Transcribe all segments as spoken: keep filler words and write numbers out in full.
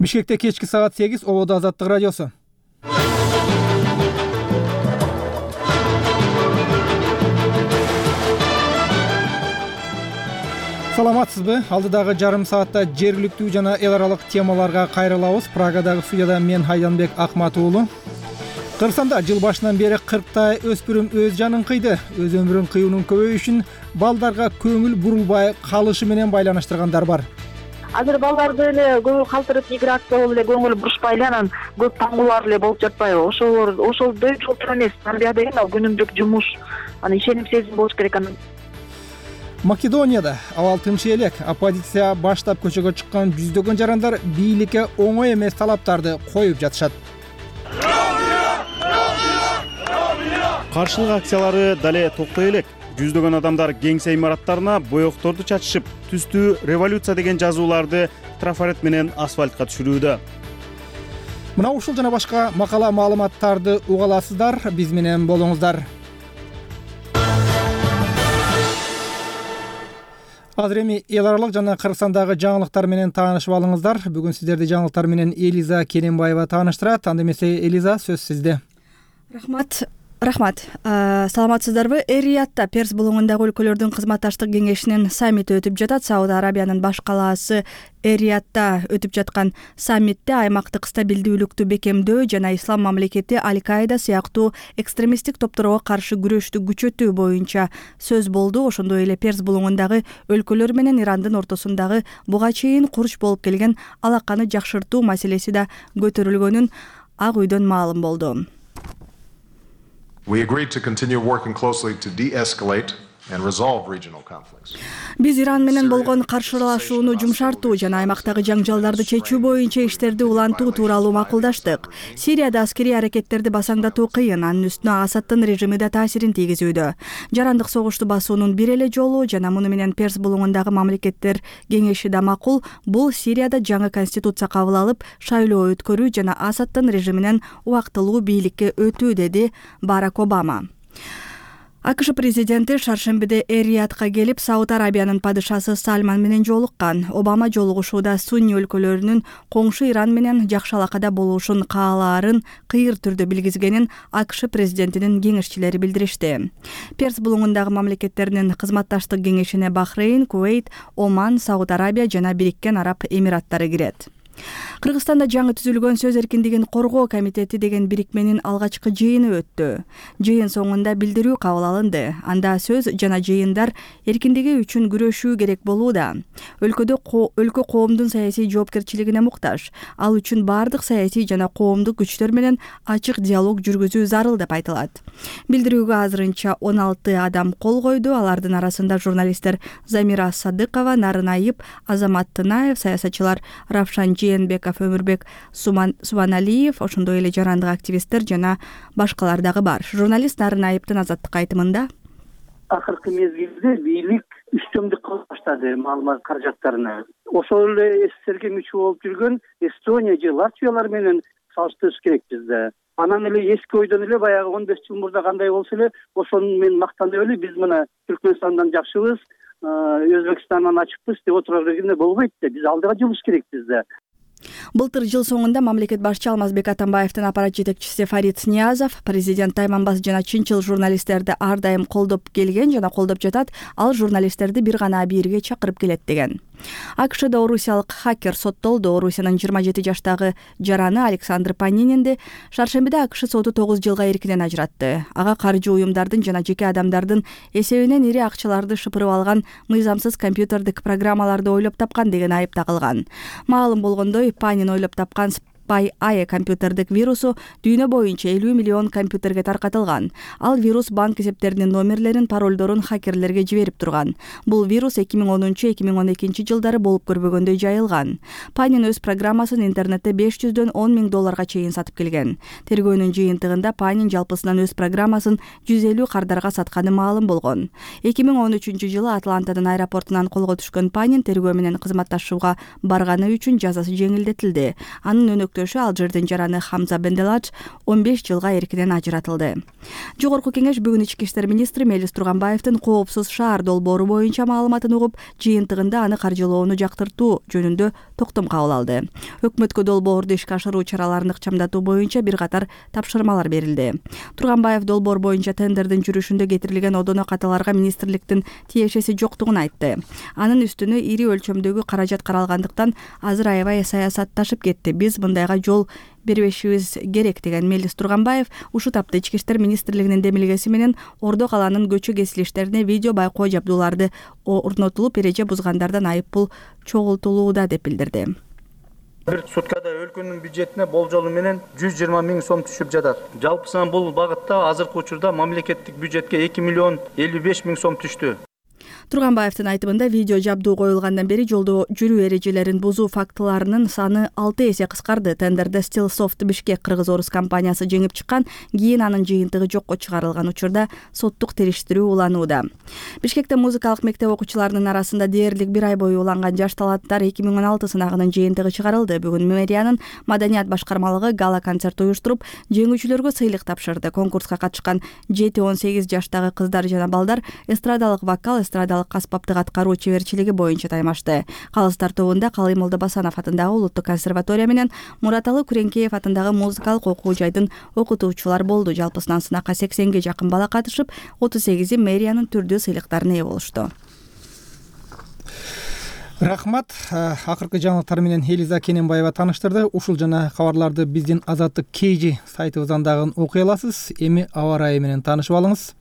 Бишкекте кечки саат сегиз, Ободо Азаттык радиосу. Саламатсызбы? Алдыдагы жарым саатта жергиликтүү жана эл аралык темаларга кайрылабыз. Прагадагы студияда мен Айданбек Акмат уулу. Кыргызстанда жыл башынан бери кырктай өспүрүм өз жанын кыйды. Өз өмүрүн кыюунун көбөйүшүн балдарга көңүл бурулбай калышы менен байланыштыргандар бар. Азыр балдарды эле көңүл калтырып миграция болуп эле көңүл бурушпай эле анан көп таңгуулар эле болуп жатпайбы? Ошол ошолдой жолтур эмес. Анда деген ал күнүмдүк жумуш, анан ишеним сезим болуш керек анан. Македонияда абал тынч элек. Оппозиция баштап көчөгө чыккан жүздөгөн жарандар бийликке оңой эмес талаптарды коюп жатышат. Каршылык акциялары дале токтой элек. Жүздөгөн адамдар кеңсе имараттарына боекторду чачышып, түстүү революция деген жазууларды трафарет менен асфальтка түшүрүүдө. Мына ушул жана башка макала маалыматтарды уга аласыздар. Биз менен болуңуздар. Азыр эми эл аралык жана Кыргызстандагы жаңылыктар менен таанышып алыңыздар. Бүгүн сиздерди жаңылыктар менен Элиза Керенбаева тааныштырат. Анда эмесе Элиза, сөз сизде. Рахмат. Рахмат. Саламатсыздарбы? Эр-Риядда Перс булуңундагы өлкөлөрдүн кызматташтык кеңешинин саммити өтүп жатат. Сауд Арабиянын баш калаасы Эр-Риядда өтүп жаткан саммитте аймактык стабилдүүлүктү бекемдөө жана ислам мамлекети Аль-Каида сыяктуу экстремисттик топторго каршы күрөштү күчөтүү боюнча сөз болду. Ошондой эле Перс булуңундагы өлкөлөр менен Ирандын ортосундагы буга чейин курч болуп келген алаканы жакшыртуу маселеси да көтөрүлгөнүн Ак үйдөн маалым болду. We agreed to continue working closely to de-escalate and resolve regional conflicts. Биз Иран менен болгон каршылашууну жумшартуу жана аймактагы жаңжалдарды чечүү боюнча иштерди улантуу тууралуу макулдаштык. Сирияда аскерий аракеттерди басаңдатуу кыйын, анын үстүнө Асаддын режими да таасирин тийгизүүдө. Жарандык согушту басуунун бир эле жолу жана муну менен Перс булуңундагы мамлекеттер кеңеши да макул, бул Сирияда жаңы конституция кабыл алып, шайлоо өткөрүү жана Асаддын режиминен убактылуу бийликке өтүү, деди Барак Обама. АКШ президенти шаршембиде Эр-Риядка келип, Сауд Арабиянын падышасы Сальман менен жолуккан. Обама жолугушууда сунни өлкөлөрүнүн коңшу Иран менен жакшы алакада болушун каалаарын кыйыр түрдө билгизгенин АКШ президентинин кеңешчилери билдиришти. Перс булуңундагы мамлекеттеринин кызматташтык кеңешине Бахрейн, Кувейт, Оман, Сауд Арабия жана Бириккен Араб Эмираттары кирет. Кыргызстанда жаңы түзүлгөн сөз эркиндигин коргоо комитети деген бирикменин алгачкы жыйыны өттү. Жыйын соңунда билдирүү кабыл алынды. Анда сөз жана жыйындар эркиндиги үчүн күрөшүү керек болууда. Өлкөдө өлкө коомдун саясий жоопкерчилигине муктаж. Ал үчүн бардык саясий жана коомдук күчтөр менен ачык диалог жүргүзүү зарыл деп айтылат. Билдирүүгө азырынча он алты адам кол койду. Алардын арасында журналисттер Замира Садыкова, Нарын Айып, Азамат Тынаев, саясатчылар Равшан Жээнбеков, Өмүрбек Субаналиев, ошондой эле жарандык активисттер жана башкалар дагы бар. Журналист Нарын Айыптын Азаттыкка айтымында: Акыркы мезгилде бийлик үстөмдүк кыла баштады маалымат каражаттарына. Ошол эле СССРге мүчө болуп жүргөн Эстония же Латвиялар менен салыштырыш керек бизде. Анан эле эски ойдон эле баягы он беш жыл мурда кандай болсо эле ошону мен мактанып эле биз мына Түркмөнстандан жакшыбыз, Өзбекстандан ачыкпыз деп отура бергенде болбойт да. Биз алдыга жылыш керек бизде. Былтыр жыл соңунда мамлекет башчы Алмазбек Атамбаевдин аппарат жетекчиси Фарид Ниязов президент Тайманбас жана чынчыл журналисттерди ар дайым колдоп келген жана колдоп жатат. Ал журналисттерди бир гана абийирге чакырып келет деген. АКШда орусиялык хакер соттолду. Орусиянын жыйырма жети жаштагы жараны Александр Панининди шаршембиде АКШ соту тогуз жылга эркинен ажыратты. Ага каржы уюмдардын жана жеке адамдардын эсебинен ири акчаларды шыпырып алган мыйзамсыз компьютердик программаларды ойлоп тапкан деген айып тагылган. Маалым болгондой, Панин ойлоп тапкан Spy-ай компьютердик вирусу дүйнө боюнча элүү миллион компьютерге таркатылган. Ал вирус банк эсептеринин номерлерин, паролдорун хакерлерге жиберип турган. Бул вирус эки миң онунчу эки миң он экинчи жылдары болуп көрбөгөндөй жайылган. Панин өз программасын интернетте беш жүздөн он миң долларга чейин сатып келген. Тергөөнүн жыйынтыгында Панин жалпысынан өз программасын жүз элүү кардарга сатканы маалым болгон. эки миң он үчүнчү жылы Атлантанын аэропортунан колго түшкөн Панин тергөө менен кызматташууга барганы үчүн жазасы жеңилдетилди. Анын өнөктөшү Алжирдин жараны Хамза Бенделадж он беш жылга эркинен ажыратылды. Жогорку кеңеш бүгүн ички иштер министри Мелис Турганбаевдин коопсуз шаар долбоору боюнча маалыматын угуп, жыйынтыгында аны каржылоону жактыртуу жөнүндө токтом кабыл алды. Өкмөткө долбоорду ишке ашыруу чараларын ыкчамдатуу боюнча бир катар тапшырмалар берилди. Турганбаев долбоор боюнча тендердин жүрүшүндө кетирилген одоно каталарга министрликтин тиешеси жоктугун айтты. Анын үстүнө ири өлчөмдөгү каражат каралгандыктан азыр аябай саясатташып кетти. Биз мындайга жол бербешибиз керек деген Мелис Турганбаев ушул тапта ички иштер министрлигинин демилгеси менен Ордо калаанын көчө кесилиштерине видео байкоо жабдууларды орнотулуп, эреже бузгандардан айып пул чогултулууда деп билдирди. Бир суткада өлкөнүн бюджетине болжолу менен жүз жыйырма миң сом түшүп жатат. Жалпысынан бул багытта азыркы учурда мамлекеттик бюджетке эки миллион элүү беш миң сом түштү. Турганбаевдин айтымында видео жабдуу коюлгандан бери жолдо жүрүү эрежелерин бузуу фактыларынын саны алты эсе кыскарды. Тендерде Stillsoft Бишкек кыргыз-орус компаниясы жеңип чыккан, кийин анын жыйынтыгы жокко чыгарылган учурда соттук териштирүү уланууда. Бишкекте музыкалык мектеп окуучуларынын арасында дээрлик бир ай бою уланган жаш таланттар эки миң он алты сынагынын жыйынтыгы чыгарылды. Бүгүн мэриянын маданият башкармалыгы гала концерт уюштуруп, жеңүүчүлөргө сыйлык тапшырды. Конкурска катышкан жети он сегиз жаштагы кыздар жана балдар эстрадалык вокал, эстрадалык аспаптык аткаруу чеберчилиги боюнча таймашты. Калыстар тобунда Калый Молдобасанов атындагы Улуттук консерватория менен Мураталы Күреңкеев атындагы музыкалык окуу жайдын окутуучулар болду. Жалпысынан сынакка сексенге жакын бала катышып, отуз сегизи мэриянын түрдүү сыйлыктарына ээ болушту. Рахмат. Акыркы жаңылыктар менен Элиза Кененбаева тааныштырды. Ушул жана кабарларды биздин Азаттык Кейжи сайтыбыздан дагы окуй аласыз. Эми аба ырайы менен таанышып алыңыз.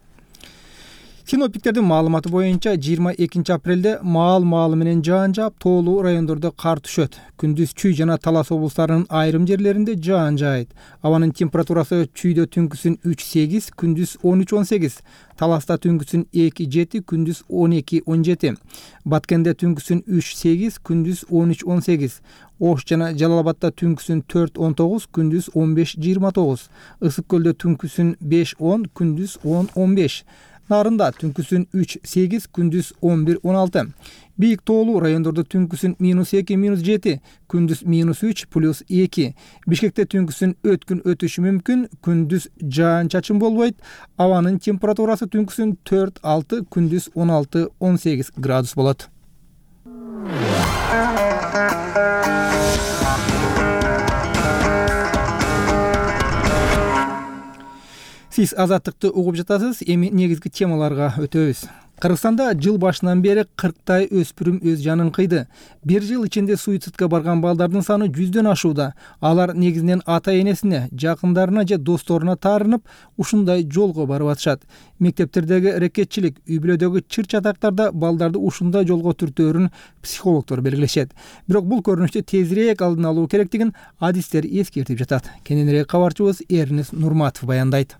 Синоптиктердин маалыматы боюнча жыйырма экинчи апрелде маал-маалы менен жаан жаап, тоолуу райондордо кар түшөт. Күндүз Чүй жана Талас облустарынын айрым жерлеринде жаан жаайт. Абанын температурасы Чүйдө түнкүсүн үч сегиз, күндүз он үч он сегиз, Таласта түнкүсүн эки жети, күндүз он эки он жети, Баткенде түнкүсүн үч сегиз, күндүз он үч он сегиз, Ош жана Жалал Абадта түнкүсүн төрт он тогуз, күндүз он беш жыйырма тогуз, Ысык көлдө түнкүсүн беш он, күндүз он он беш, Нарында түнкүсүн үч сегиз, күндүз он бир он алты. Бийик тоолуу райондордо түнкүсүн минус эки минус жети, күндүз минус үч плюс эки. Бишкекте түнкүсүн өткүн өтүшү мүмкүн, күндүз жаан чачын болбойт. Абанын температурасы түнкүсүн төрт алты, күндүз он алты он сегиз градус болот. Сиз Азаттыкты угуп жатасыз. Эми негизги темаларга өтөбүз. Кыргызстанда жыл башынан бери кырктай өспүрүм өз жанын кыйды. Бир жыл ичинде суицидке барган балдардын саны жүздөн ашууда. Алар негизинен ата-энесине, жакындарына же досторуна таарынып, ушундай жолго барып атышат. Мектептердеги рекетчилик, үй-бүлөдөгү чыр-чатактарда балдарды ушундай жолго түртөөрүн психологдор белгилешет. Бирок бул көрүнүштү тезирээк алдын алуу керектигин адистер эскертип жатат. Кененирээк кабарчыбыз Эрнес Нурматов баяндайт.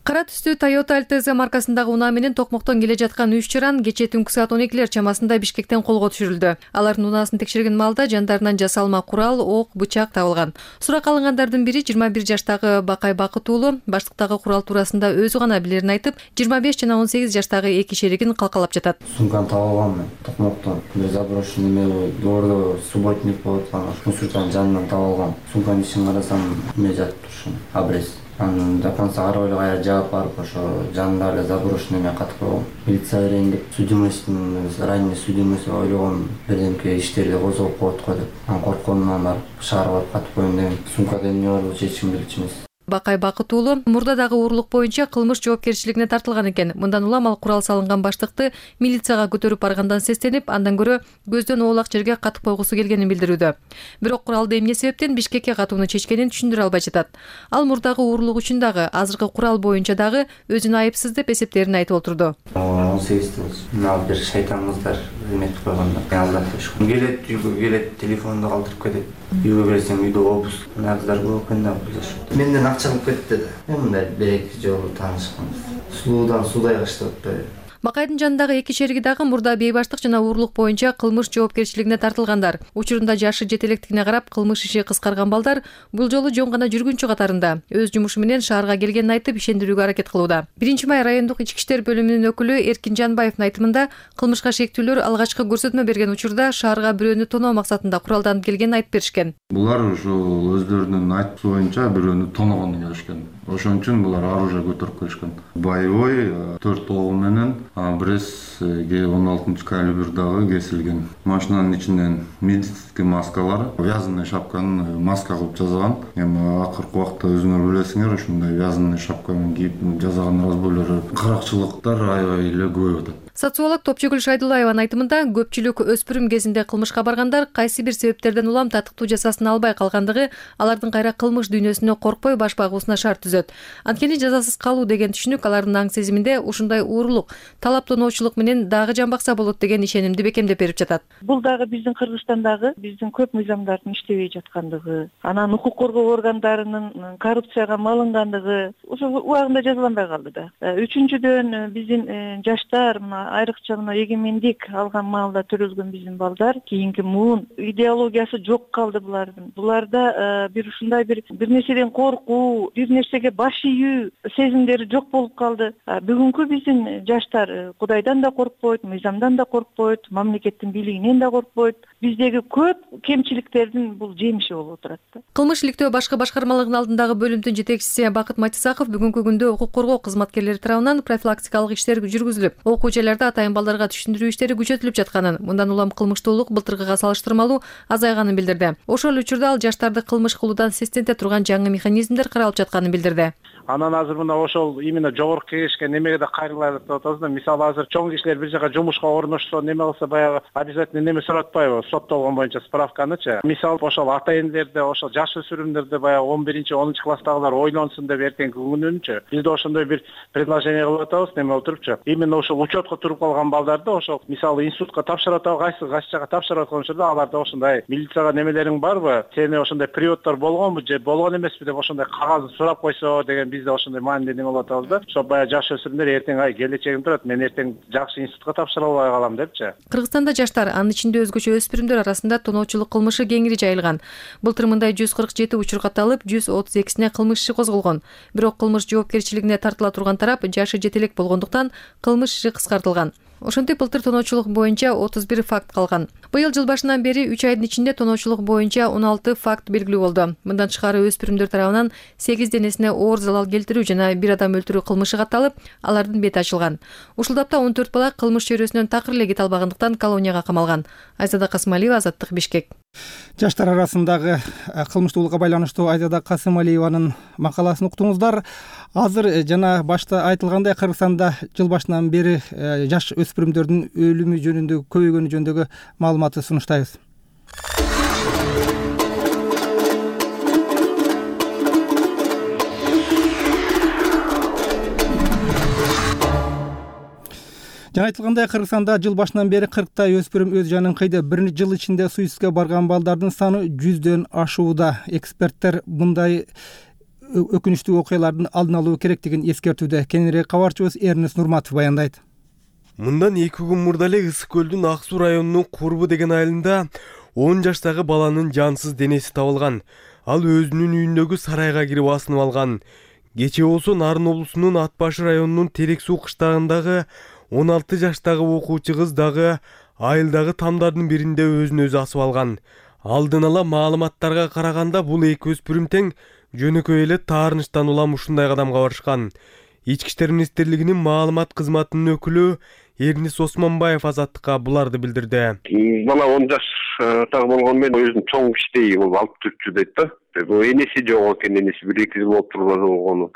Кара түстүү Toyota Altezа маркасындагы унаа менен токмоктон келе жаткан үч чыран кечээ түнкү саат он экилер чамасында Бишкектен колго түшүрүлдү. Алардын унаасын текшерген маалда жандарынан жасалма курал, ок, бычак табылган. Суракка алынгандардын бири жыйырма бир жаштагы Бакай Бакыт уулу баштыктагы курал туурасында өзү гана билерин айтып, жыйырма беш жана он сегиз жаштагы эки шеригин калкалап жатат. Сумканы таап алганмын токмоктон. Бир заброшенный эме доордо субботник болуп аткан мусорчанын жанынан таап алгам. Сумканын ичин карасам, эме жатып турушун, абрез. Анын до конца карабай эле кая жаап барып ошо жанында эле заброшенный эме катып койгом. Милиция берейин деп судимостьтун ранний судимость ойлогом бирдемке иштерди козгоп коет го деп. Анан коркконуман барып шаарга барып катып коеюн дегем. Сумкада эмне бар болуп чечим билчү эмес. Бакай Бакыт уулу мурдадагы уурлук боюнча кылмыш жоопкерчилигине тартылган экен. Мындан улам ал курал салынган баштыкты милицияга көтөрүп баргандан сестенип, андан көрө көздөн оолак жерге катып койгусу келгенин билдирүүдө. Бирок куралды эмне себептен Бишкекке катууну чечкенин түшүндүрө албай жатат. Ал мурдагы уурлук үчүн дагы, азыркы курал боюнча дагы өзүн айыпсыз деп эсептерин айтып отурду. он сегизде мына бир шайтан кыздар эметип койгондо алдап коюшкан. Келет үйгө келет, телефонду калтырып кетет. Үйгө келсем үйдө обуз. Мына кыздар көп экен да бул. Менден акча алып кетти да. Мындай бир эки жолу таанышканбыз. Суудан суудай кыштап атпайбы. Бакайдын жанындагы эки шериги дагы мурда бейбаштык жана уурулук боюнча кылмыш жоопкерчилигине тартылгандар. Учурунда жашы жетелектигине карап кылмыш иши кыскарган балдар бул жолу жөн гана жүргүнчү катарында өз жумушу менен шаарга келгенин айтып ишендирүүгө аракет кылууда. биринчи май райондук ички иштер бөлүмүнүн өкүлү Эркин Жанбаевдин айтымында кылмышка шектүүлөр алгачкы көрсөтмө берген учурда шаарга бирөөнү тоноо максатында куралданып келгенин айтып беришкен. Булар ошол өздөрүнүн айтуусу боюнча бирөөнү тоногону келишкен. Ошон үчүн булар оружие көтөрүп келишкен. Боевой төрт ого менен Брес он алтынчы калибр дагы кесилген. Машинанын ичинен медицинский маскалар, вязаный шапканы маска кылып жасаган. Эми акыркы убакта өзүңөр билесиңер, ушундай вязаный шапканы кийип жасаган разбойлор, каракчылыктар аябай эле көбөйүп атат. Социолог Топчугүл Шайдуллаеванын айтымында көпчүлүк өспүрүм кезинде кылмышка баргандар кайсы бир себептерден улам татыктуу жазасын албай калгандыгы алардын кайра кылмыш дүйнөсүнө коркпой баш багуусуна шарт түзөт. Анткени жазасыз калуу деген түшүнүк алардын аң сезиминде ушундай уурулук, талаптоноочулук менен дагы жамбакса болот деген ишенимди бекемдеп берип жатат. Бул дагы биздин Кыргызстандагы биздин көп мыйзамдардын иштебей жаткандыгы, анан укук коргоо органдарынын коррупцияга малынгандыгы ошол убагында жазаланбай калды да. Үчүнчүдөн биздин жаштар айрыкча мына эгемендик алган маалда төрөлгөн биздин балдар кийинки муун идеологиясы жок калды булардын. Буларда бир ушундай бир бир нерседен коркуу, бир нерсеге баш ийүү сезимдери жок болуп калды. Бүгүнкү биздин жаштар Кудайдан да коркпойт, мыйзамдан да коркпойт, мамлекеттин бийлигинен да коркпойт. Биздеги көп кемчиликтердин бул жемиши болуп отурат да. Кылмыш иликтөө башкы башкармалыгынын алдындагы бөлүмдүн жетекчиси Бакыт Матисаков бүгүнкү күндө укук коргоо кызматкерлери тарабынан профилактикалык иштер жүргүзүлүп, окуу жайларда атайын балдарга түшүндүрүү иштери күчөтүлүп жатканын, мындан улам кылмыштуулук былтыркыга салыштырмалуу азайганын билдирди. Ошол учурда ал жаштарды кылмыш кылуудан сестенте турган жаңы механизмдер каралып жатканын билдирди. Анан азыр мына ошол именно жогорку кеңешке немеге да кайрылайлык деп атабыз да. Мисалы азыр чоң кишилер бир жака жумушка орношсо неме кылса баягы обязательно неме суратпайбы? Соттолгон боюнча справканычы. Мисалы ошол ата энелерде, ошол жаш өспүрүмдөрдө баягы он биринчи онунчу класстагылар ойлонсун деп эртеңки күнүнчү. Биз да ошондой бир предложение кылып атабыз, неме болуп турупчу. Именно ошол учетко туруп калган балдарды ошол мисалы институтка тапшырып атабы, кайсы кайсы жака тапшырып аткан учурда аларда ошондой милицияга немелериң барбы? Сени ошондой приводдор болгонбу же болгон эмеспи деп ошондой кагазын сурап койсо деген бизде ошондой маани неме болуп атабыз да. Ошо баягы жаш өспүрүмдөр эртең ай келечегим турат, мен эртең жакшы институтка тапшыра албай калам депчи. Кыргызстанда жаштар, анын ичинде өзгөчө өспүрүмдөр арасында тоноочулук кылмышы кеңири жайылган. Былтыр мындай жүз кырк жети учур катталып, жүз отуз экисине кылмыш иши козголгон. Бирок кылмыш жоопкерчилигине тартыла турган тарап жашы жетелек болгондуктан кылмыш иши кыскартылган. Ошентип былтыр тоноочулук боюнча отуз бир факт калган. Быйыл жыл башынан бери үч айдын ичинде тоноочулук боюнча он алты факт белгилүү болду. Мындан тышкары өспүрүмдөр тарабынан сегиз денесине оор залал келтирүү жана бир адам өлтүрүү кылмышы катталып, алардын бети ачылган. Ушул тапта он төрт бала кылмыш чөйрөсүнөн такыр эле кете албагандыктан колонияга камалган. Айзада Касымалиева, Азаттык, Бишкек. Жаштар арасындагы кылмыштуулукка байланыштуу Айзада Касымалиеванын макаласын уктуңуздар. Азыр жана башта айтылгандай Кыргызстанда жыл башынан бери жаш өспүрүмдөрдүн өлүмү жөнүндө көбөйгөнү жөнүндөгү маалыматты сунуштайбыз. Жана айтылгандай Кыргызстанда жыл башынан бери кырктай өспүрүм өз жанын кыйды. Бир жыл ичинде суицидке барган балдардын саны жүздөн ашууда. Эксперттер мындай өкүнүчтүү окуялардын алдын алуу керектигин эскертүүдө. Кененирээк кабарчыбыз Эрнес Нурматов баяндайт. Мындан эки күн мурда эле Ысык көлдүн Ак Суу районунун Курбу деген айылында он жаштагы баланын жансыз денеси табылган. Ал өзүнүн үйүндөгү сарайга кирип асынып алган. Кечээ болсо Нарын облусунун Ат башы районунун Терек Суу кыштагындагы он алты жаштагы окуучу кыз дагы айылдагы тамдардын биринде өзүн өзү асып алган. Алдын ала маалыматтарга караганда бул эки өспүрүм тең жөнөкөй эле таарынычтан улам ушундай кадамга барышкан. Ички иштер министрлигинин маалымат кызматынын өкүлү Эрнис Осмонбаев Азаттыкка буларды билдирди. Бала он жаштагы болгону менен өзүн чоң кичтей болуп алып жүрчү дейт да. Энеси жок экен, энеси бир эки жыл болуп турган.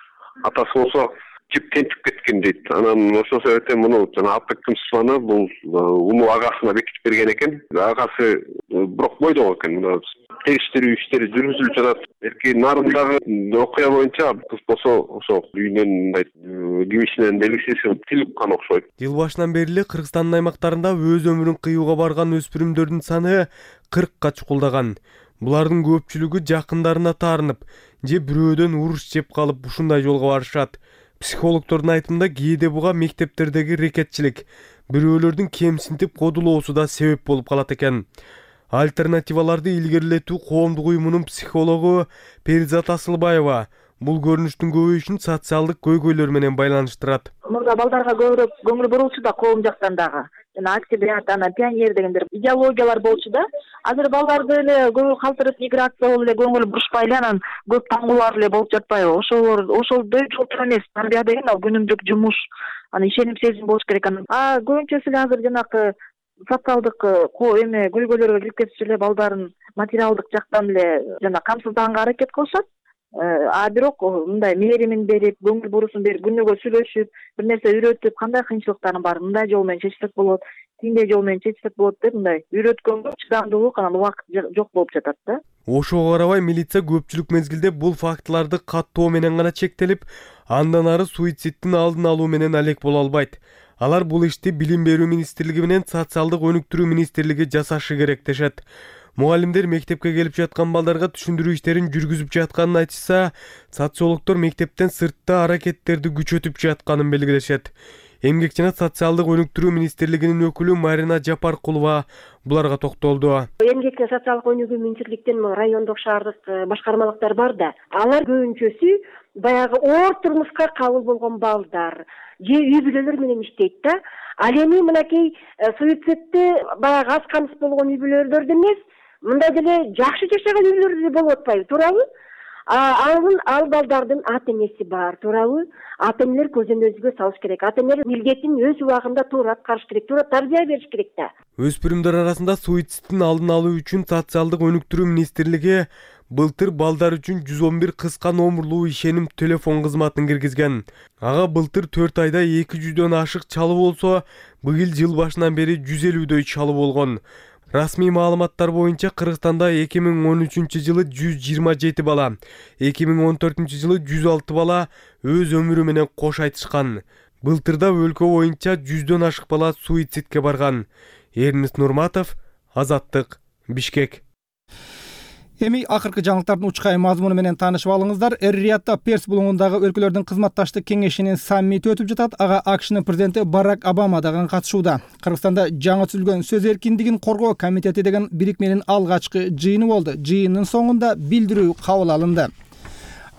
Атасы болсо жип тентип кеткен дейт. Анан ошол себептен муну жана Аппекимсваны бул уну агасына бекитип берген экен. Агасы бирок бойдок экен. Териштирүү иштери жүргүзүлүп жатат. Эрки Нарындагы окуя боюнча кыз болсо ошол үйүнөн мындай кимишинен белгисиз тилип кан окшойт. Жыл башынан бери эле Кыргызстандын аймактарында өз өмүрүн кыюуга барган өспүрүмдөрдүн саны кыркка чукулдаган. Булардын көпчүлүгү жакындарына таарынып, же бирөөдөн уруш жеп калып ушундай жолго барышат. Психологдордун айтымында кээде буга мектептердеги рекетчилик, бирөөлөрдүн кемсинтип кодулоосу да себеп болуп калат экен. Альтернативаларды илгерилетүү коомдук уюмунун психологу Перизат Асылбаева бул көрүнүштүн көбөйүшүн социалдык көйгөйлөр менен байланыштырат. Мурда балдарга көбүрөөк көңүл бурулчу да коом жактан дагы. Жана октябрят, ана пионер дегендер идеологиялар болчу да. Азыр балдарды эле көбү калтырып миграция болуп эле көңүл бурушпай эле анан көп таңгуулар эле болуп жатпайбы? Ошолор ошол дөйчүлүк эмес. Тарбия деген ал күнүмдүк жумуш. Аны ишеним сезим болуш керек анан. А көбүнчөсү эле азыр жанакы социалдык эме көйгөйлөргө кирип кетиши эле балдарын материалдык жактан эле жана камсыздаганга аракет кылышат. А бирок мындай мээримин берип, көңүл бурусун берип, күнөөгө сүйлөшүп, бир нерсе үйрөтүп, кандай кыйынчылыктарың бар, мындай жол менен чечсек болот, тиндей жол менен чечсек болот деп мындай үйрөткөнгө чыдамдуулук анан убакыт жок болуп жатат да. Ошого карабай милиция көпчүлүк мезгилде бул фактыларды каттоо менен гана чектелип, андан ары суицидтин алдын алуу менен алек боло албайт. Алар бул ишти Билим берүү министрлиги менен Социалдык өнүктүрүү министрлиги жасашы керек дешет. Мугалимдер мектепке келип жаткан балдарга түшүндүрүү иштерин жүргүзүп жатканын айтышса, социологдор мектептен сыртта аракеттерди күчөтүп жатканын белгилешет. Эмгек жана социалдык өнүктүрүү министрлигинин өкүлү Марина Жапаркулова буларга токтолду. Эмгек жана социалдык өнүгүү министрликтин райондук шаардык башкармалыктар бар да. Алар көбүнчөсү баягы оор турмушка кабыл болгон балдар же үй бүлөлөр менен иштейт да. Ал эми мынакей суицидти баягы аз камсыз болгон үй бүлөлөрдө эмес, мындай деле жакшы жашаган үй бүлөлөрдө болуп атпайбы, туурабы? Анын ал балдардын ата энеси бар, туурабы? Ата энелер көзөн өзгө салыш керек. Ата энелер милдетин өз убагында туура аткарыш керек, туура тарбия бериш керек да. Өспүрүмдөр арасында суицидтин алдын алуу үчүн Социалдык өнүктүрүү министрлиги былтыр балдар үчүн жүз он бир кыска номурлуу ишеним телефон кызматын киргизген. Ага былтыр төрт айда эки жүздөн ашык чалуу болсо, быйыл жыл башынан бери жүз элүүдөй чалуу болгон. Расмий маалыматтар боюнча Кыргызстанда эки миң он үчүнчү жылы жүз жыйырма жети бала, эки миң он төртүнчү жылы жүз алты бала өз өмүрү менен кош айтышкан. Былтырда өлкө боюнча жүздөн ашык бала суицидке барган. Эрнест Нурматов, Азаттык, Бишкек. Эми акыркы жаңылыктардын учкай мазмуну менен таанышып алыңыздар. Эр-Риядда Перс булуңундагы өлкөлөрдүн кызматташтык кеңешинин саммити өтүп жатат. Ага АКШнын президенти Барак Обама дагы катышууда. Кыргызстанда жаңы түзүлгөн сөз эркиндигин коргоо комитети деген бирикменин алгачкы жыйыны болду. Жыйындын соңунда билдирүү кабыл алынды.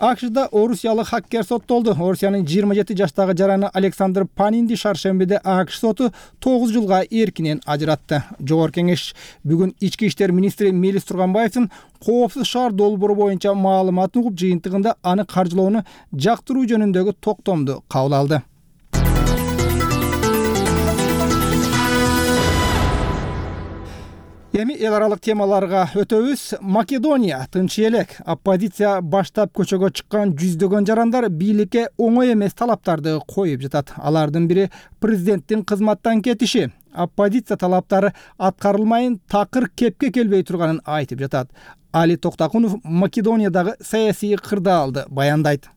АКШда орусиялык хаккер соттолду. Орусиянын жыйырма жети жаштагы жараны Александр Панинди шаршембиде АКШ соту тогуз жылга эркинен ажыратты. Жогорку кеңеш бүгүн ички иштер министри Мелис Турганбаевдин коопсуз шаар долбоору боюнча маалыматын угуп, жыйынтыгында аны каржылоону жактыруу жөнүндөгү токтомду кабыл алды. Эми эл аралык темаларга өтөбүз. Македония тынч элек. Оппозиция баштап көчөгө чыккан жүздөгөн жарандар бийликке оңой эмес талаптарды коюп жатат. Алардын бири президенттин кызматтан кетиши. Оппозиция талаптары аткарылмайын, такыр кепке келбей турганын айтып жатат. Али Токтакунов Македониядагы саясий кырдаалды баяндайт.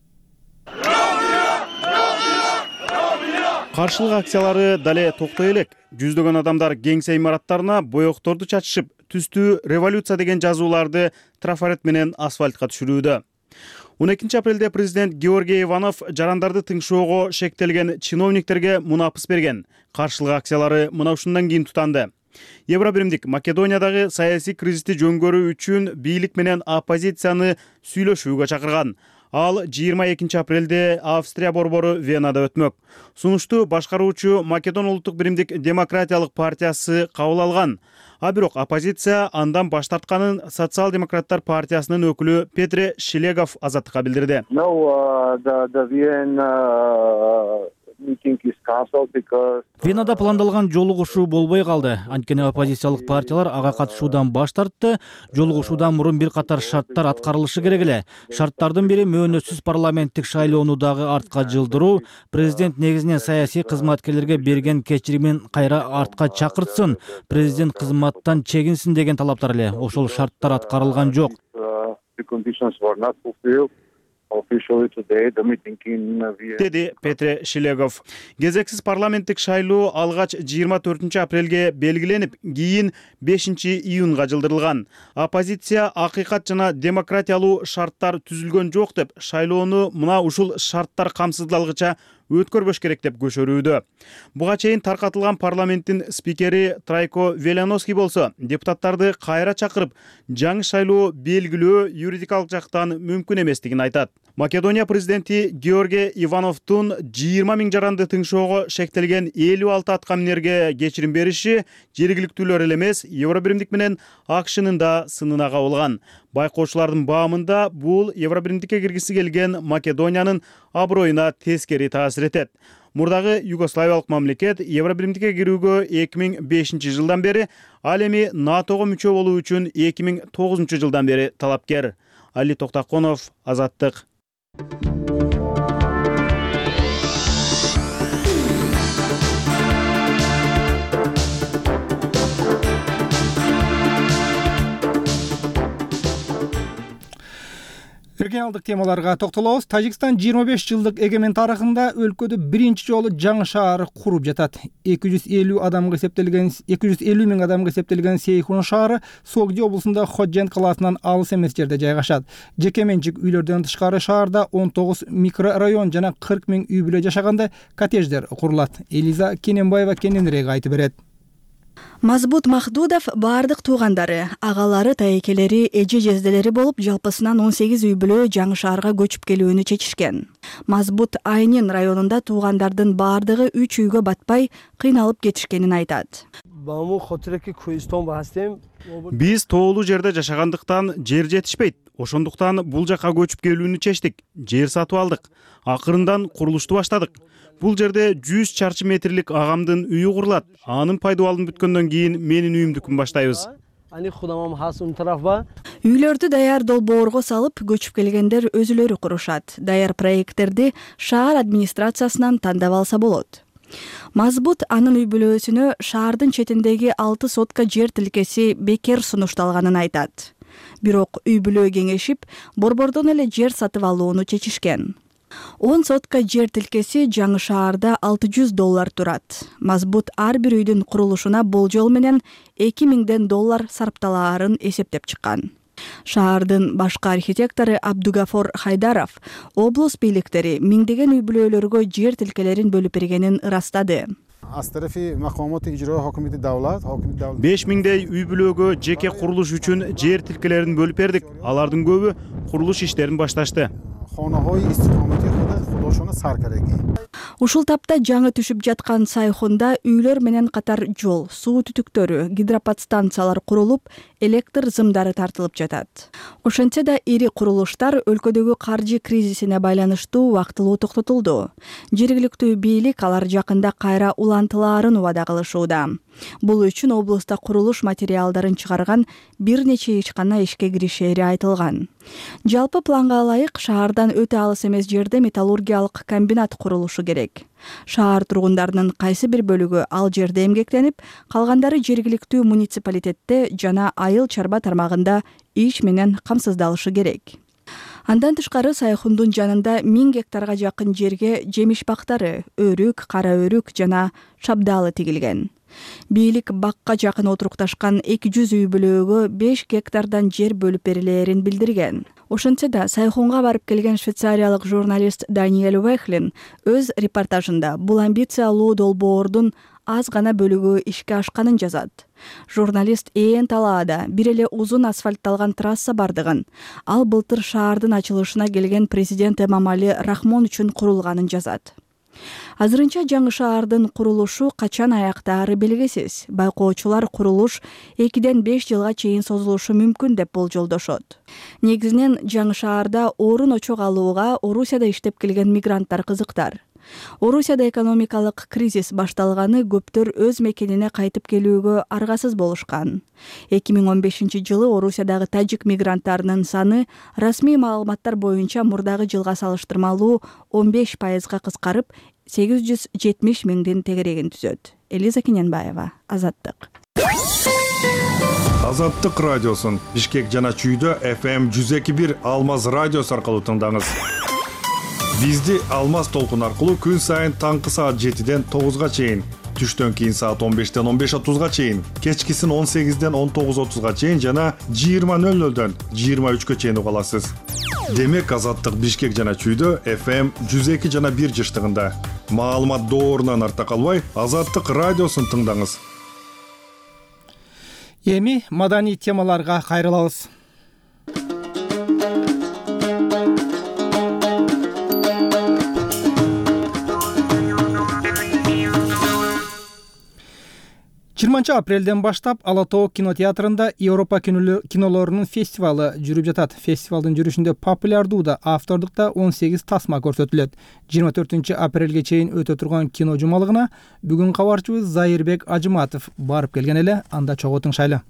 Каршылык акциялары дале токтой элек. Жүздөгөн адамдар кеңсе имараттарына боекторду чачышып, түстүү революция деген жазууларды трафарет менен асфальтка түшүрүүдө. он экинчи апрелде президент Георгий Иванов жарандарды тыңшоого шектелген чиновниктерге мунапыс берген. Каршылык акциялары мына ушундан кийин тутанды. Евробиримдик Македониядагы саясий кризисти жөнгөрүү үчүн бийлик менен оппозицияны сүйлөшүүгө чакырган. Ал жыйырма экинчи апрелде Австрия борбору Венада өтмөк. Сунушту башкаруучу Македон улуттук биримдик демократиялык партиясы кабыл алган. А бирок оппозиция андан баш тартканын социал-демократтар партиясынын өкүлү Петре Шилегов Азаттыкка билдирди. Венада пландалган жолугушуу болбой калды. Анткени оппозициялык партиялар ага катышуудан баш тартты. Жолугушуудан мурун бир катар шарттар аткарылышы керек эле. Шарттардын бири мөөнөтсүз парламенттик шайлоону дагы артка жылдыруу, президент негизинен саясий кызматкерлерге берген кечиримин кайра артка чакыртсын, президент кызматтан чегинсин деген талаптар эле. Ошол шарттар аткарылган жок. деди Петре Шилегов. Кезексиз парламенттик шайлоо алгач жыйырма төртүнчү апрелге белгиленип, кийин бешинчи июнга жылдырылган. Оппозиция акыйкат жана демократиялуу шарттар түзүлгөн жок деп шайлоону мына ушул шарттар камсыздалгыча өткөрбөш керек деп көшөрүүдө. Буга чейин таркатылган парламенттин спикери Трайко Веляновский болсо депутаттарды кайра чакырып, жаңы шайлоо белгилөө юридикалык жактан мүмкүн эместигин айтат. Македония президенти Георгий Ивановдун жыйырма миң жаранды тыңшоого шектелген элүү алты аткаминерге кечирим бериши жергиликтүүлөр эле эмес, Евробиримдик менен АКШнын да сынына кабылган. Байкоочулардын баамында бул Евробиримдикке киргиси келген Македониянын аброюна тескери таасир этет. Мурдагы югославиялык мамлекет Евробиримдикке кирүүгө эки миң бешинчи жылдан бери, ал эми НАТОго мүчө болуу үчүн эки миң тогузунчу жылдан бери талапкер. Али Токтаконов, Азаттык. Регионалдык темаларга токтолобуз. Тажикстан жыйырма беш жылдык эгемен тарыхында өлкөдө биринчи жолу жаңы шаар куруп жатат. эки жүз элүү адамга эсептелген эки жүз элүү миң адамга эсептелген Сейхун шаары Согди облусунда Ходжент калаасынан алыс эмес жерде жайгашат. Жеке менчик үйлөрдөн тышкары шаарда он тогуз микрорайон жана кырк миң үй бүлө жашаганда коттедждер курулат. Элиза Кененбаева кененирээк айтып берет. Мазбут Махдудов баардык туугандары, агалары, тайекелери, эже жезделери болуп, жалпысынан он сегиз үй бүлө жаңы шаарга көчүп келүүнү чечишкен. Мазбут Айнин районунда туугандардын баардыгы үч үйгө батпай кыйналып кетишкенин айтат. Биз тоолуу жерде жашагандыктан жер жетишпейт. Ошондуктан бул жака көчүп келүүнү чечтик. Жер сатып алдык. Акырындан курулушту баштадык. Бул жерде жүз чарчы метрлик агамдын үйү курулат. Анын пайдубалын бүткөндөн кийин менин үйүмдүкүн баштайбыз. Үйлөрдү даяр долбоорго салып, көчүп келгендер өзүлөрү курушат. Даяр проекттерди шаар администрациясынан тандап алса болот. Мазбут анын үй бүлөсүнө шаардын четиндеги алты сотка жер тилкеси бекер сунушталганын айтат. Бирок үй бүлө кеңешип, борбордон эле жер сатып алууну чечишкен. он сотка жер тилкеси жаңы шаарда алты жүз доллар турат. Мазбут ар бир үйдүн курулушуна болжол менен эки миңден доллар сарпталаарын эсептеп чыккан. Шаардын башкы архитектору Абдугафор Хайдаров облус бийликтери миңдеген үй бүлөлөргө жер тилкелерин бөлүп бергенин ырастады. беш миңдей үй бүлөгө жеке курулуш үчүн жер тилкелерин бөлүп бердик. Алардын көбү курулуш иштерин башташты. Ушул тапта жаңы түшүп жаткан Сайхунда үйлөр менен катар жол, суу түтүктөрү, гидроподстанциялар курулуп, электр зымдары тартылып жатат. Ошентсе да ири курулуштар өлкөдөгү каржы кризисине байланыштуу убактылуу токтотулду. Жергиликтүү бийлик алар жакында кайра улантылаарын убада кылышууда. Бул үчүн облуста курулуш материалдарын чыгарган бир нече ишкана ишке киришери айтылган. Жалпы планга ылайык шаардан өтө алыс эмес жерде металлургиялык комбинат курулушу керек. Шаар тургундарынын кайсы бир бөлүгү ал жерде эмгектенип, калгандары жергиликтүү муниципалитетте жана айыл чарба тармагында иш менен камсыздалышы керек. Андан тышкары Сайхундун жанында миң гектарга жакын жерге жемиш бактары, өрүк, кара өрүк жана шабдалы тигилген. Бийлик бакка жакын отурукташкан эки жүз үй бүлөгө беш гектардан жер бөлүп берилерин билдирген. Ошентсе да Сайхунга барып келген швейцариялык журналист Даниэль Вехлин өз репортажында бул амбициялуу долбоордун аз гана бөлүгү ишке ашканын жазат. Журналист ээн талаада бир эле узун асфальтталган трасса бардыгын, ал былтыр шаардын ачылышына келген президент Эмомали Рахмон үчүн курулганын жазат. Азырынча жаңы шаардын курулушу качан аяктаары белгисиз. Байкоочулар курулуш экиден беш жылга чейин созулушу мүмкүн деп болжолдошот. Негизинен жаңы шаарда орун очок алууга Орусияда иштеп келген мигранттар кызыктар. Орусияда экономикалык кризис башталганы көптөр өз мекенине кайтып келүүгө аргасыз болушкан. эки миң он бешинчи жылы Орусиядагы тажик мигранттарынын саны расмий маалыматтар боюнча мурдагы жылга салыштырмалуу он беш пайызга кыскарып, сегиз жүз жетимиш миңдин тегерегин түзөт. Элиза Кененбаева, Азаттык. Азаттык радиосун Бишкек жана Чүйдө эф эм жүз эки бир Алмаз радиосу аркылуу тыңдаңыз. Бизди Алмаз толкун аркылуу күн сайын таңкы саат жетиден тогузга чейин, түштөн кийин саат он бештен он беш отузга чейин, кечкисин он сегизден он тогуз отузга чейин жана жыйырма нөл нөлдөн жыйырма үчкө чейин уга аласыз. Демек Азаттык Бишкек жана Чүйдө эф эм жүз эки жана бир жыштыгында. Маалымат доорунан артта калбай, Азаттык радиосун тыңдаңыз. Эми маданий темаларга кайрылабыз. жыйырманчы апрелден баштап Ала Тоо кинотеатрында Европа кинолорунун фестивалы жүрүп жатат. Фестивалдын жүрүшүндө популярдуу да, автордук да он сегиз тасма көрсөтүлөт. жыйырма төртүнчү апрелге чейин өтө турган кино жумалыгына бүгүн кабарчыбыз Зайырбек Ажыматов барып келген эле, анда чогуу тыңшайлы.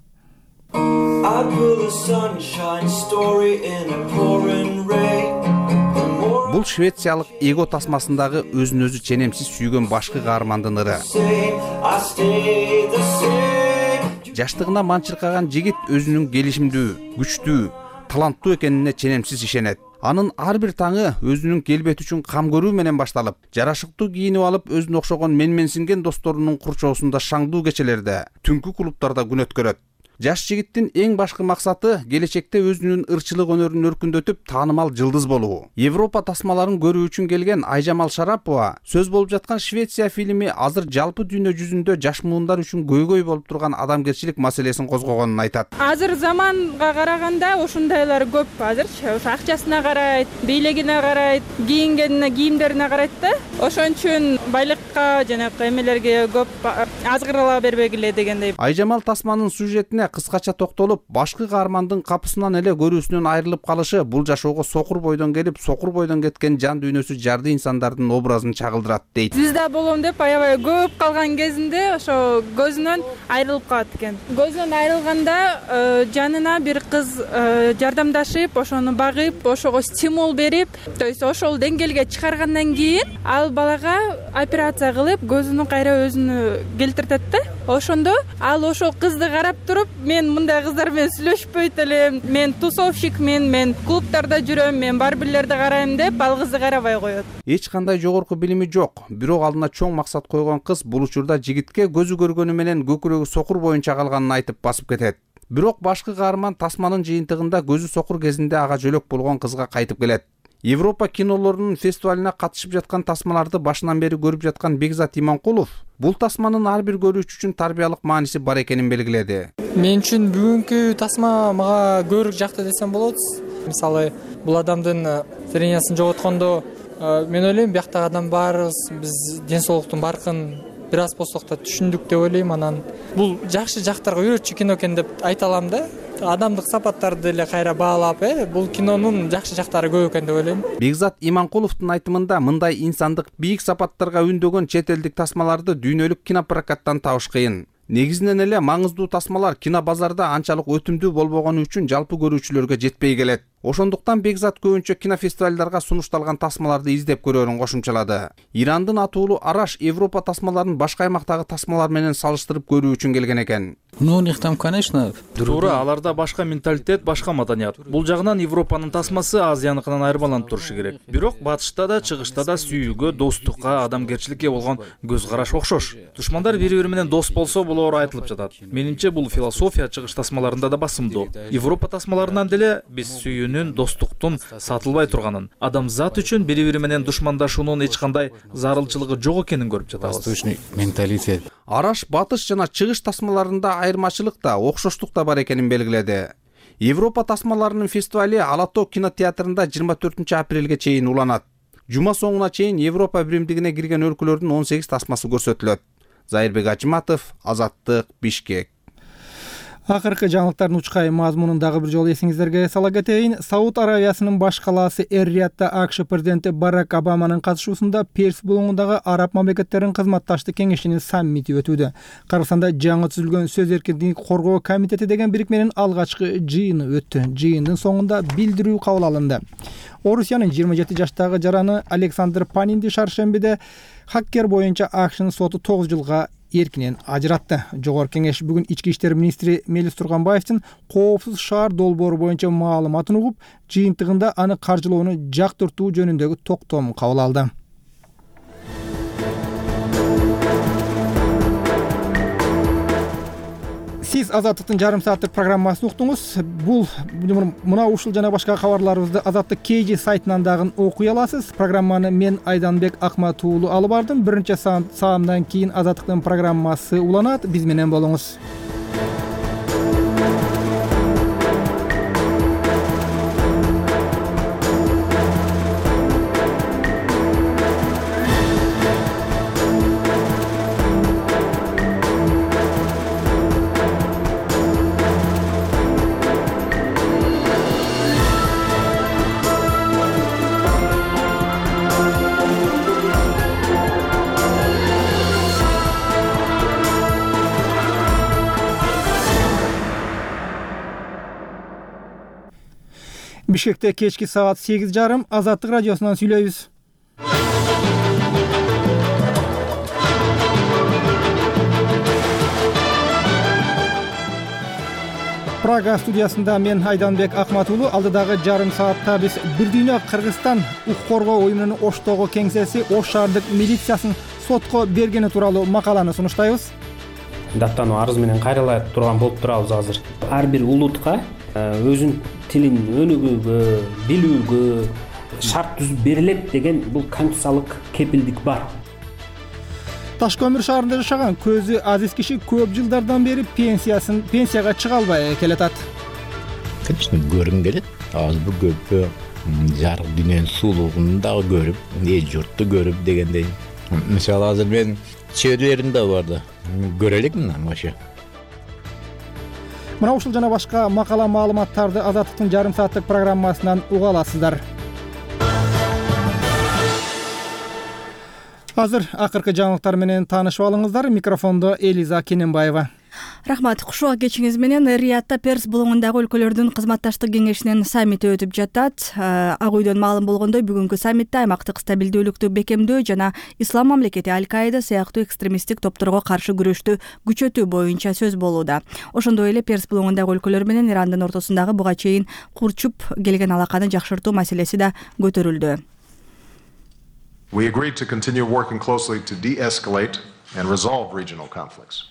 Бул швециялык эго тасмасындагы өзүн өзү ченемсиз сүйгөн башкы каармандын ыры. Жаштыгына манчыркаган жигит өзүнүн келишимдүү, күчтүү, таланттуу экенине ченемсиз ишенет. Анын ар бир таңы өзүнүн келбети үчүн кам көрүү менен башталып, жарашыктуу кийинип алып өзүнө окшогон менменсинген досторунун курчоосунда шаңдуу кечелерде, түнкү клубтарда күн өткөрөт. Жаш жигиттин эң башкы максаты келечекте өзүнүн ырчылык өнөрүн өркүндөтүп, таанымал жылдыз болуу. Европа тасмаларын көрүү үчүн келген Айжамал Шарапова сөз болуп жаткан Швеция фильми азыр жалпы дүйнө жүзүндө жаш муундар үчүн көйгөй болуп турган адамгерчилик маселесин козгогонун айтат. Азыр заманга караганда ошондойлор көп. Азырчы ошо акчасына карайт, бийлигине карайт, кийингенине, кийимдерине карайт да. Ошон үчүн байлыкка жанакы эмелерге көп азгырыла бербегиле дегендей. Айжамал тасманын сюжетине кыскача токтолуп, башкы каармандын капысынан эле көрүүсүнөн айрылып калышы бул жашоого сокур бойдон келип, сокур бойдон кеткен жан дүйнөсү жарды инсандардын образын чагылдырат дейт. Звезда болом деп аябай көп калган кезинде ошо көзүнөн айрылып калат экен. Көзүнөн айрылганда жанына бир кыз жардамдашып, ошону багып, ошого стимул берип, то есть ошол деңгээлге чыгаргандан кийин ал балага операция кылып, көзүнүн кайра өзүнө келтиртет да. Ошондо ал ошол кызды карап туруп, мен мындай кыздар менен сүйлөшпөйт элем, мен тусовщикмин, мен клубтарда жүрөм, мен барбирлерди карайм деп ал кызды карабай коет. Эч кандай жогорку билими жок, бирок алдына чоң максат койгон кыз бул учурда жигитке көзү көргөнү менен көкүрөгү сокур боюнча калганын айтып басып кетет. Бирок башкы каарман тасманын жыйынтыгында көзү сокур кезинде ага жөлөк болгон кызга кайтып келет. Европа кинолорунун фестивалына катышып жаткан тасмаларды башынан бери көрүп жаткан Бекзат Иманкулов бул тасманын ар бир көрүүчү үчүн тарбиялык мааниси бар экенин белгиледи. Мен үчүн бүгүнкү тасма мага көрүк жакты десем болот. Мисалы, бул адамдын зрениясын жоготкондо мен ойлойм бияктагы адам баарыбыз биз ден соолуктун баркын бир аз болсок да түшүндүк деп ойлойм. Анан бул жакшы жактарга үйрөтчү кино экен деп айта алам да. Адамдык сапаттарды эле кайра баалап, э, бул кинонун жакшы жактары көп экен деп ойлойм. Бекзат Иманкуловдун айтымында мындай инсандык бийик сапаттарга үндөгөн чет элдик тасмаларды дүйнөлүк кинопрокаттан табыш кыйын. Негизинен эле маңыздуу тасмалар кино базарда анчалык өтүмдүү болбогону үчүн жалпы көрүүчүлөргө жетпей келет. Ошондуктан Бекзат көбүнчө кинофестивалдарга сунушталган тасмаларды издеп көрөрүн кошумчалады. Ирандын атуулуу Араш Европа тасмаларын башка аймактагы тасмалар менен салыштырып көрүү үчүн келген экен. Ну, у них там, конечно, туура, аларда башка менталитет, башка маданият. Бул жагынан Европанын тасмасы Азияныкынан айырмаланып турушу керек. Бирок батышта да, чыгышта да сүйүүгө, достукка, адамгерчиликке болгон көз караш окшош. Душмандар бири-бири менен дос болсо, бул оор айтылып жатат. Менимче бул философия чыгыш тасмаларында да басымдуу. Европа тасмаларынан деле биз сүйүүнүн, достуктун сатылбай турганын, адамзат үчүн бири-бири менен душмандашуунун эч кандай зарылчылыгы жок экенин көрүп жатабыз. Восточный менталитет. Араш батыш жана чыгыш тасмаларында айырмачылык да, окшоштук да бар экенин белгиледи. Европа тасмаларынын фестивали Ала Тоо кинотеатрында жыйырма төртүнчү апрелге чейин уланат. Жума соңуна чейин Европа биримдигине кирген өлкөлөрдүн он сегиз тасмасы көрсөтүлөт. Зайырбек Ажыматов, Азаттык, Бишкек. Акыркы жаңылыктардын учкай мазмунун дагы бир жолу эсиңиздерге сала кетейин. Сауд Аравиясынын баш калаасы Эр-Риядда АКШ президенти Барак Обаманын катышуусунда Перс булуңундагы араб мамлекеттеринин кызматташтык кеңешинин саммити өтүүдө. Кыргызстанда жаңы түзүлгөн сөз эркиндигин коргоо комитети деген бирикменин алгачкы жыйыны өттү. Жыйындын соңунда билдирүү кабыл алынды. Орусиянын жыйырма жети жаштагы жараны Александр Панинди шаршембиде хаккер боюнча АКШнын соту тогуз жылга эркинен ажыратты. Жогорку кеңеш бүгүн ички иштер министри Мелис Турганбаевдин коопсуз шаар долбоору боюнча маалыматын угуп, жыйынтыгында аны каржылоону жактыртуу жөнүндөгү токтом кабыл алды. Сиз Азаттыктын жарым сааттык программасын уктуңуз. Бул мына ушул жана башка кабарларыбызды Азаттык кей жи сайтынан дагы окуй аласыз. Программаны мен Айданбек Акмат уулу алып бардым. Биринчи саамдан кийин Азаттыктын программасы уланат. Биз менен болуңуз. Бишкекте кечки саат сегиз жарым Азаттык радиосунан сүйлөйбүз. Прага студиясында мен Айданбек Акмат уулу. Алдыдагы жарым саатта биз Бир дүйнө Кыргызстан укук коргоо уюмунун Оштогу кеңсеси Ош шаардык милициясын сотко бергени тууралуу макаланы сунуштайбыз. Даттануу арыз менен кайрыла турган болуп турабыз азыр. Ар бир улутка өзүнүн тилин өнүгүүгө, билүүгө шарт түзүп берилет деген бул конституциялык кепилдик бар. Таш көмүр шаарында жашаган көзү азиз киши көп жылдардан бери пенсиясын пенсияга чыга албай келатат. Конечно, көргүм келет. Азбы көппү жарык дүйнөнүн сулуулугун дагы көрүп, эл журтту көрүп дегендей. Мисалы азыр мен чөйрөлөрүм да бар да. Көрө элекмин вообще. Мына ушул жана башка макала маалыматтарды Азаттыктын жарым сааттык программасынан уга аласыздар. Азыр акыркы жаңылыктар менен таанышып алыңыздар. Микрофондо Элиза Кененбаева. Рахмат. Кушуга кечиңиз менен Риядта Перс булуңундагы өлкөлөрдүн кызматташтык кеңешинин саммити өтүп жатат. Ак үйдөн маалым болгондой, бүгүнкү саммитте аймактык стабилдүүлүктү бекемдөө жана ислам мамлекети Аль-Каида сыяктуу экстремисттик топторго каршы күрөштү күчөтүү боюнча сөз болууда. Ошондой эле Перс булуңундагы өлкөлөр менен Ирандын ортосундагы буга чейин курчуп келген алаканы жакшыртуу маселеси да көтөрүлдү. We agreed to continue working closely to de-escalate and resolve regional conflicts.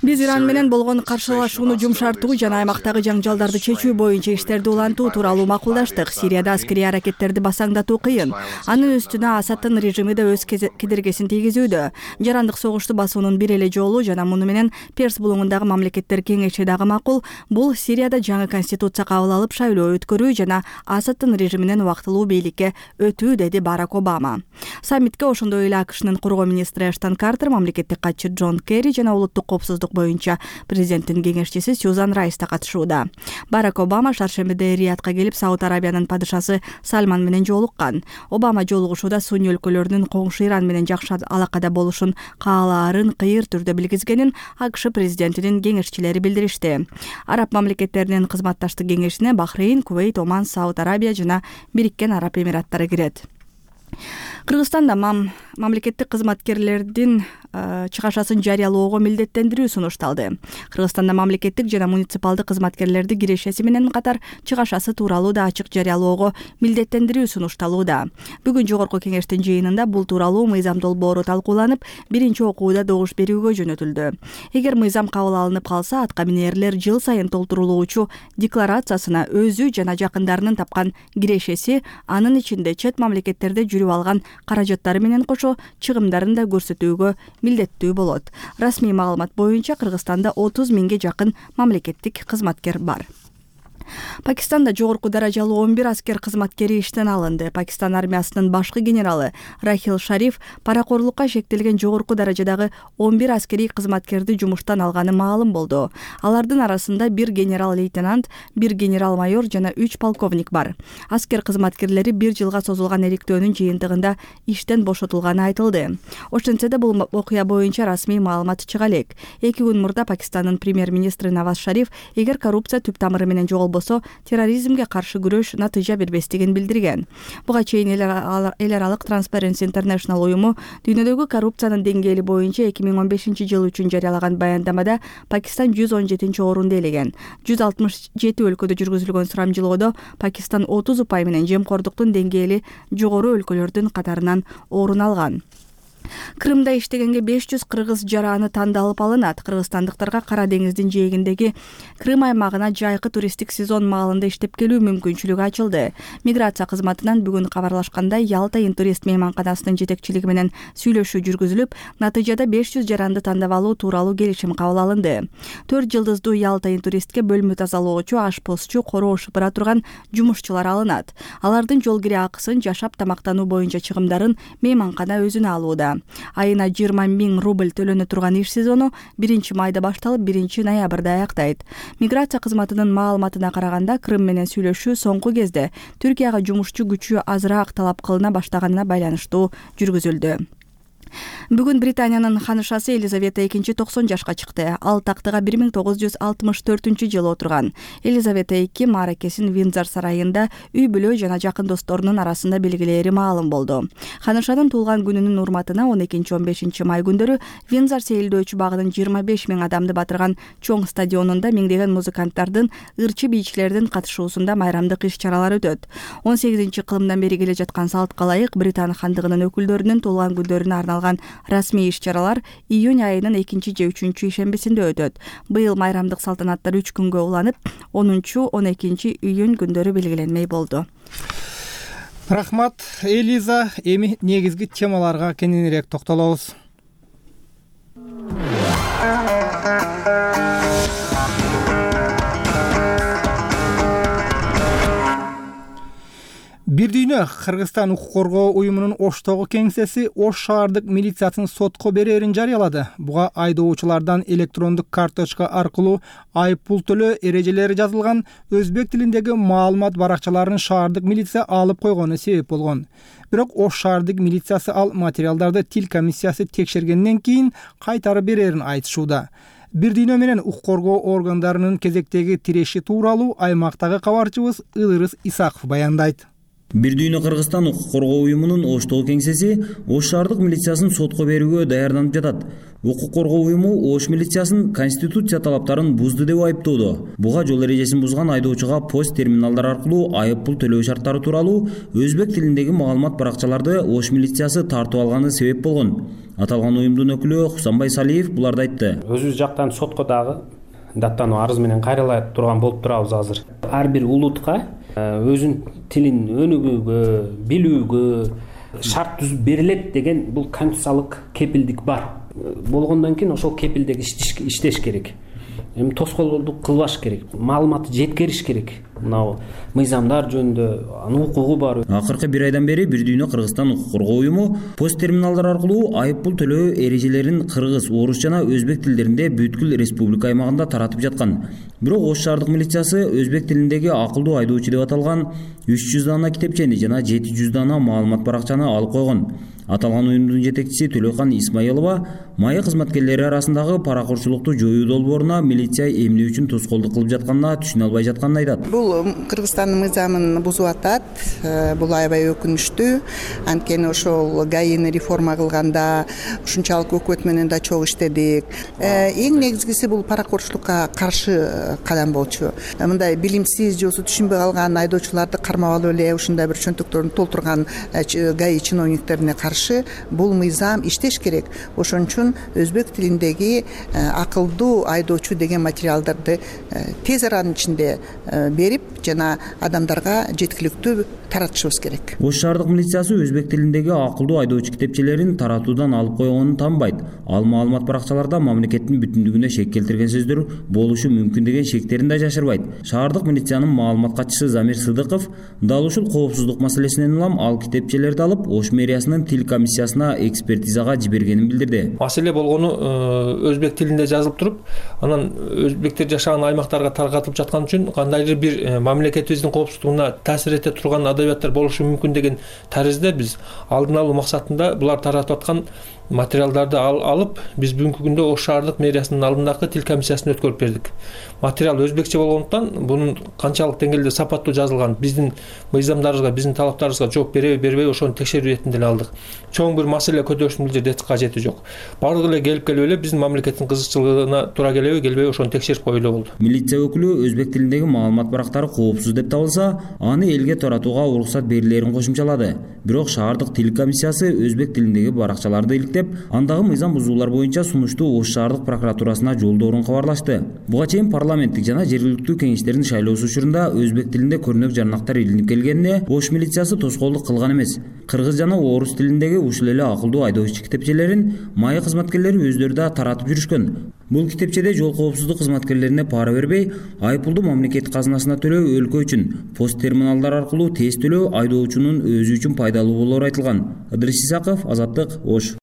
Биз Иран менен болгон каршылашууну жумшартуу жана аймактагы жаңжалдарды чечүү боюнча иштерди улантуу тууралуу макулдаштык. Сирияда аскерий аракеттерди басаңдатуу кыйын. Анын үстүнө Асадтын режими да өз кедергесин тийгизүүдө. Жарандык согушту басуунун бир эле жолу жана муну менен Перс булуңундагы мамлекеттер кеңеши дагы макул. Бул Сирияда жаңы конституция кабыл алып шайлоо өткөрүү жана Асадтын режиминен убактылуу бийликке өтүү, деди Барак Обама. Саммитке ошондой эле АКШнын коргоо министри Эштон Картер, мамлекеттик катчы Джон Керри жана улуттук коопсуздук боюнча президенттин кеңешчиси Сьюзан Райс да катышууда. Барак Обама шаршембиде Риядка келип Сауд Арабиянын падышасы Сальман менен жолуккан. Обама жолугушууда Сунни өлкөлөрүнүн коңшу Иран менен жакшы алакада болушун каалаарын кыйыр түрдө билгизгенин АКШ президентинин кеңешчилери билдиришти. Араб мамлекеттеринин кызматташтык кеңешине Бахрейн, Кувейт, Оман, Сауд Арабия жана Бириккен Араб Эмираттары кирет. Кыргызстанда мам мамлекеттик кызматкерлердин чыгашасын жарыялоого милдеттендирүү сунушталды. Кыргызстанда мамлекеттик жана муниципалдык кызматкерлерди кирешеси менен катар чыгашасы тууралуу да ачык жарыялоого милдеттендирүү сунушталууда. Бүгүн жогорку кеңештин жыйынында бул тууралуу мыйзам долбоору талкууланып, биринчи окууда добуш берүүгө жөнөтүлдү. Эгер мыйзам кабыл алынып калса, атка минерлер жыл сайын толтурулуучу декларациясына өзү жана жакындарынын тапкан кирешеси, анын ичинде чет мамлекеттерде жүрүп алган каражаттары менен кошо чыгымдарын да көрсөтүүгө милдеттүү болот. Расмий маалымат боюнча Кыргызстанда отуз миңге жакын мамлекеттик кызматкер бар. Пакистанда жогорку даражалуу он бир аскер кызматкери иштен алынды. Пакистан армиясынын башкы генералы Рахил Шариф паракорлукка шектелген жогорку даражадагы он бир аскерий кызматкерди жумуштан алганы маалым болду. Алардын арасында бир генерал-лейтенант, бир генерал-майор жана үч полковник бар. Аскер кызматкерлери бир жылга созулган эриктөөнүн жыйынтыгында иштен бошотулганы айтылды. Ошентсе да бул окуя боюнча расмий маалымат чыга элек. Эки күн мурда Пакистандын премьер-министри Наваз Шариф, эгер коррупция түп тамыры менен жоголбосо, терроризмге каршы күрөш натыйжа бербестигин билдирген. Буга чейин эл аралык Transparency International уюму дүйнөдөгү коррупциянын деңгээли боюнча эки миң он бешинчи жыл үчүн жарыялаган баяндамада Пакистан жүз он жетинчи орунду ээлеген. жүз алтымыш жети өлкөдө жүргүзүлгөн сурамжылоодо Пакистан отуз упай менен жемкордуктун деңгээли жогору өлкөлөрдүн катарынан орун алган. Крымда иштегенге беш жүз кыргыз жараны тандалып алынат. Кыргызстандыктарга Кара деңиздин жээгиндеги Крым аймагына жайкы туристтик сезон маалында иштеп келүү мүмкүнчүлүгү ачылды. Миграция кызматынан бүгүн кабарлашкандай, Ялта интурист мейманканасынын жетекчилиги менен сүйлөшүү жүргүзүлүп, натыйжада беш жүз жаранды тандап алуу тууралуу келишим кабыл алынды. төрт жылдыздуу Ялта интуристке бөлмө тазалоочу, ашпозчу, короо шыпыра турган жумушчулар алынат. Алардын жол кире акысын, жашап тамактануу боюнча чыгымдарын мейманкана өзүнө алууда. Айына жыйырма миң рубль төлөнө турган иш сезону биринчи майда башталып, биринчи ноябрда аяктайт. Миграция кызматынын маалыматына караганда, Крым менен сүйлөшүү соңку кезде Түркияга жумушчу күчү азыраак талап кылына баштаганына байланыштуу жүргүзүлдү. Бүгүн Британиянын ханышасы Елизавета экинчи токсон жашка чыкты. Ал тактыга бир миң тогуз жүз алтымыш төртүнчү жылы отурган. Елизавета эки мааракесин Виндзор сарайында үй бүлө жана жакын досторунун арасында белгилери маалым болду. Ханышанын туулган күнүнүн урматына он экинчи он бешинчи май күндөрү Виндзор сейилдөөчү багынын жыйырма беш миң адамды батырган чоң стадионунда миңдеген музыканттардын, ырчы бийчилердин катышуусунда майрамдык иш-чаралар өтөт. он сегизинчи кылымдан бери келе жаткан салтка ылайык Британ хандыгынын өкүлдөрүнүн туулган күндөрүнө арналган расмий иш-чаралар июнь айынын экинчи же үчүнчү ишембисинде өтөт. Быйыл майрамдык салтанаттар үч күнгө уланып, онунчу он экинчи июнь күндөрү белгиленмей болду. Рахмат, Элиза. Эми негизги темаларга кененирээк токтолобуз. Бир дүйнө Кыргызстан укук коргоо уюмунун Оштогу кеңсеси Ош шаардык милициясын сотко берерин жарыялады. Буга айдоочулардан электрондук карточка аркылуу айып пул төлөө эрежелери жазылган өзбек тилиндеги маалымат баракчаларын шаардык милиция алып койгону себеп болгон. Бирок Ош шаардык милициясы ал материалдарды тил комиссиясы текшергенден кийин кайтарып берерин айтышууда. Бир дүйнө менен укук коргоо органдарынын кезектеги тиреши тууралуу аймактагы кабарчыбыз Ылырыс Исаков баяндайт. Бир дүйнө Кыргызстан укук коргоо уюмунун Оштогу кеңсеси Ош шаардык милициясын сотко берүүгө даярданып жатат. Укук коргоо уюму Ош милициясын конституция талаптарын бузду деп айыптоодо. Буга жол эрежесин бузган айдоочуга пост терминалдар аркылуу айып пул төлөө шарттары тууралуу өзбек тилиндеги маалымат баракчаларды Ош милициясы тартып алганы себеп болгон. Аталган уюмдун өкүлү Хусанбай Салиев буларды айтты. Өзүбүз жактан сотко дагы даттануу арыз менен кайрыла турган болуп турабыз азыр. Ар бир улутка өзүнүн тилин өнүгүүгө, билүүгө шарт түзүп берилет деген бул конституциялык кепилдик бар. Болгондон кийин ошол кепилдик иштеш керек. Эми тоскоолдук кылбаш керек. Маалыматты жеткериш керек. Мына мыйзамдар жөнүндө анын укугу бар. Акыркы бир айдан бери Бир дүйнө Кыргызстан укук коргоо уюму пост терминалдар аркылуу айып пул төлөө эрежелерин кыргыз, орус жана өзбек тилдеринде бүткүл республика аймагында таратып жаткан. Бирок Ош шаардык милициясы өзбек тилиндеги акылдуу айдоочу деп аталган үч жүз дана китепчени жана жети жүз дана маалымат баракчаны алып койгон. Аталган уюмдун жетекчиси Төлөкан Исмаилова майы кызматкерлери арасындагы паракурчулукту жоюу долбооруна милиция эмне үчүн тоскоолдук кылып жатканына түшүнө албай жатканын айтат. Бул Кыргызстандын мыйзамын бузуп атат. Бул аябай өкүнүчтүү. Анткени ошол ГАИны реформа кылганда ушунчалык өкмөт менен да чогуу иштедик. Эң негизгиси бул паракурчулукка каршы кадам болчу. Мындай билимсиз же түшүнбөй калган айдоочуларды кармап алып эле ушундай бир чөнтөктөрүн толтурган ГАИ чиновниктерине каршы бул мыйзам иштеш керек. Ошон үчүн өзбек тилиндеги акылдуу айдоочу деген материалдарды тез аранын ичинде берип жана адамдарга жеткиликтүү таратышыбыз керек. Ош шаардык милициясы өзбек тилиндеги акылдуу айдоочу китепчелерин таратуудан алып койгонун таанбайт. Ал маалымат баракчаларда мамлекеттин бүтүндүгүнө шек келтирген сөздөр болушу мүмкүн деген шектерин да жашырбайт. Шаардык милициянын маалымат катчысы Замир Сыдыков дал ушул коопсуздук маселесинен улам ал китепчелерди алып Ош мэриясынын тил комиссиясына экспертизага жибергенин билдирди. Маселе болгону өзбек тилинде жазылып туруп, анан өзбектер жашаган аймактарга таркатылып жаткан үчүн кандайдыр бир мамлекетибиздин коопсуздугуна таасир эте турган адабияттар болушу мүмкүн деген таризде биз алдын алуу максатында булар таратып аткан материалдарды алып биз бүгүнкү күндө ош шаардык мэриясынын алдындагы тил комиссиясына өткөрүп бердик. Материал өзбекче болгондуктан бунун канчалык деңгээлде сапаттуу жазылган, биздин мыйзамдарыбызга, биздин талаптарыбызга жооп береби бербей ошону текшерүү иретинде эле алдык. Чоң бир маселе көтөрүштүн бул жерде кажети жок. Бардыгы эле келип келип эле биздин мамлекеттин кызыкчылыгына туура келеби, келбеби ошону текшерип коюу эле болду. Милиция өкүлү өзбек тилиндеги маалымат барактары коопсуз деп табылса, аны элге таратууга уруксат берилерин кошумчалады. Бирок шаардык тил комиссиясы өзбек тилиндеги баракчаларды иликтеп, андагы мыйзам бузуулар боюнча сунушту Ош шаардык прокуратурасына жолдоорун кабарлашты. Буга чейин парламенттик жана жергиликтүү кеңештердин шайлоосу учурунда өзбек тилинде көрнөк жарнактар илинип келгенине Ош милициясы тоскоолдук кылган эмес. Кыргыз жана орус тилиндеги ушул эле акылдуу айдоочу китепчелерин майы кызматкерлери өздөрү да таратып жүрүшкөн. Бул китепчеде жол коопсуздук кызматкерлерине пара бербей, айыппулду мамлекет казынасына төлөө өлкө үчүн, пост терминалдар аркылуу тез төлөө айдоочунун өзү үчүн пайдалуу болоору айтылган. Ыдырыс Исаков, Азаттык, Ош.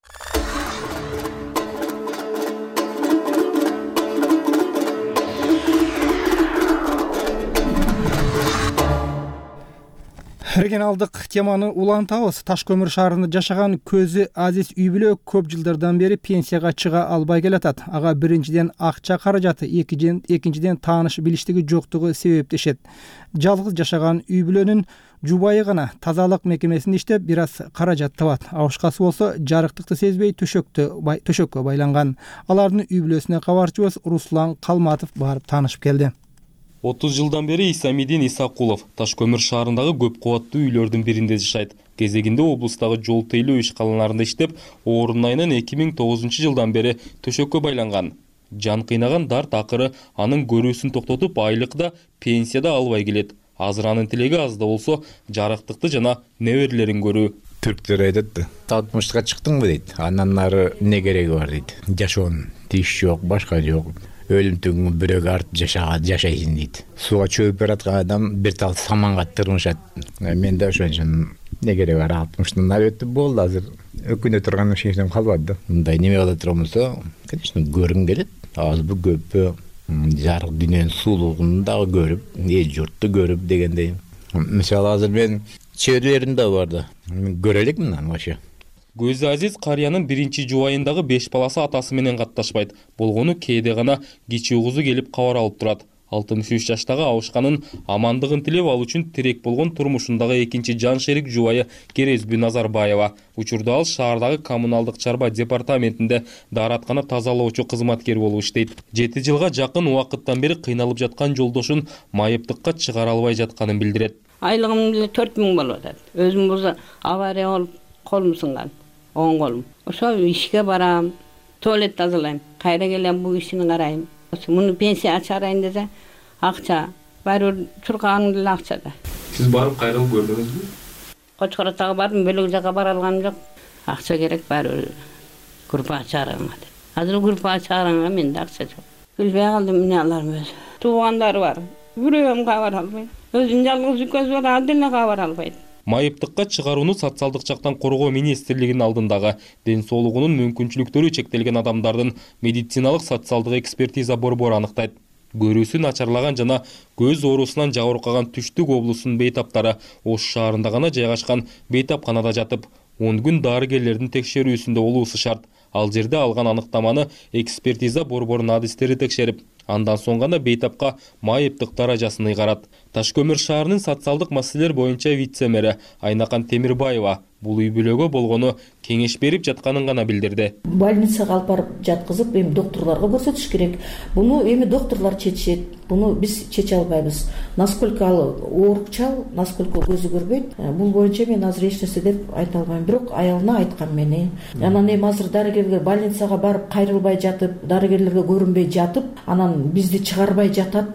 Регионалдык теманы улантабыз. Таш көмүр шаарында жашаган көзү азиз үй бүлө көп жылдардан бери пенсияга чыга албай келатат. Ага биринчиден акча каражаты, экинчиден тааныш билиштиги жоктугу себептешет. Жалгыз жашаган үй бүлөнүн жубайы гана тазалык мекемесинде иштеп, бир аз каражат табат. Абышкасы болсо жарыктыкты сезбей төшөктө төшөккө байланган. Алардын үй бүлөсүнө кабарчыбыз Руслан Калматов барып таанышып келди. отуз жылдан бери Исамидин Исакулов Таш көмүр шаарындагы көп кубаттуу үйлөрдүн биринде жашайт. Кезегинде облустагы жол тейлөө ишканаларында иштеп, орун айынан эки миң тогузунчу жылдан бери төшөккө байланган. Жан кыйнаган дарт акыры анын көрүүсүн токтотуп, айлыкта, пенсияда албай келет. Азыр анын тилеги аз да болсо жарыктыкты жана неберелерин көрүү. Түрктөр айтат да, алтымышка чыктыңбы дейт. Андан нары эмне кереги бар дейт. Жашоонун тиш жок, башка жок. Өлүмтүгүңө бирөөгө артып жашаат жашайсың дейт. Сууга чөп бараткан адам бир тал саманга тырмышат. Мен да ошон үчүн эмне кереги бар, алтымыштан нары өтүп болду, азыр өкүнө турган эч нерсем калбады да. Мындай неме кыла турган болсо, конечно, көргүм келет. Азбы көппү жарык дүйнөнүн суулугун дагы көрүп, эл журтту көрүп дегендей. Мисалы азыр мен чөбөрөлөрүм да бар да. Көрө элекмин аны вообще. Көзү азиз карыянын биринчи жубайындагы беш баласы атасы менен катташпайт. Болгону кээде гана кичүү кызы келип кабар алып турат. алтымыш үч жаштагы абышканын амандыгын тилеп ал үчүн тирек болгон турмушундагы экинчи жан шерик жубайы Керезби Назарбаева. Учурда ал шаардагы коммуналдык чарба департаментинде даараткана тазалоочу кызматкер болуп иштейт. жети жылга жакын убакыттан бери кыйналып жаткан жолдошун майыптыкка чыгара албай жатканын билдирет. Айлыгым деле төрт миң болуп атат. Өзүм болсо авария болуп колум сынган. оң колум. Ошо ишке барам, туалет тазалайм, кайра келем бул ишини карайм. Муну пенсия чыгарайын десе, акча, баары чуркаганым деле акча да. Сиз барып кайрылып көрдүңүзбү? Кочкоротага бардым, бөлөк жака бара алганым жок. Акча керек баары группа чыгарганга. Азыр группа чыгарганга менде акча жок. Билбей калдым эмне аларым өзү. Туугандары бар. Бирөөм кабар албайт. Өзүнүн жалгыз үкөсү бар, ал деле кабар албайт. Майыптыкка чыгарууну социалдык жактан коргоо министрлигинин алдындагы ден соолугунун мүмкүнчүлүктөрү чектелген адамдардын медициналык социалдык экспертиза борбору аныктайт. Көрүүсү начарлаган жана көз оорусунан жабыркаган Түштүк облусунун бейтаптары Ош шаарында гана жайгашкан бейтапканада жатып, он күн дарыгерлердин текшерүүсүндө болуусу шарт. Ал жерде алган аныктаманы экспертиза борборунун адистери текшерип, андан соң гана бейтапка майыптык даражасын ыйгарат. Таш көмүр шаарынын социалдык маселелер боюнча вице-мэри Айнакан Темирбаева бул үй бүлөгө болгону кеңеш берип жатканын гана билдирди. Больницага алып барып жаткызып, эми доктурларга көрсөтүш керек. Буну эми доктурлар чечет. Буну биз чече албайбыз. Насколько ал оорукчал, насколько көзү көрбөйт. Бул боюнча мен азыр эч нерсе деп айта албайм. Бирок аялына айткам мени. Анан эми азыр дарыгерлер больницага барып кайрылбай жатып, дарыгерлерге көрүнбөй жатып, анан бизди чыгарбай жатат,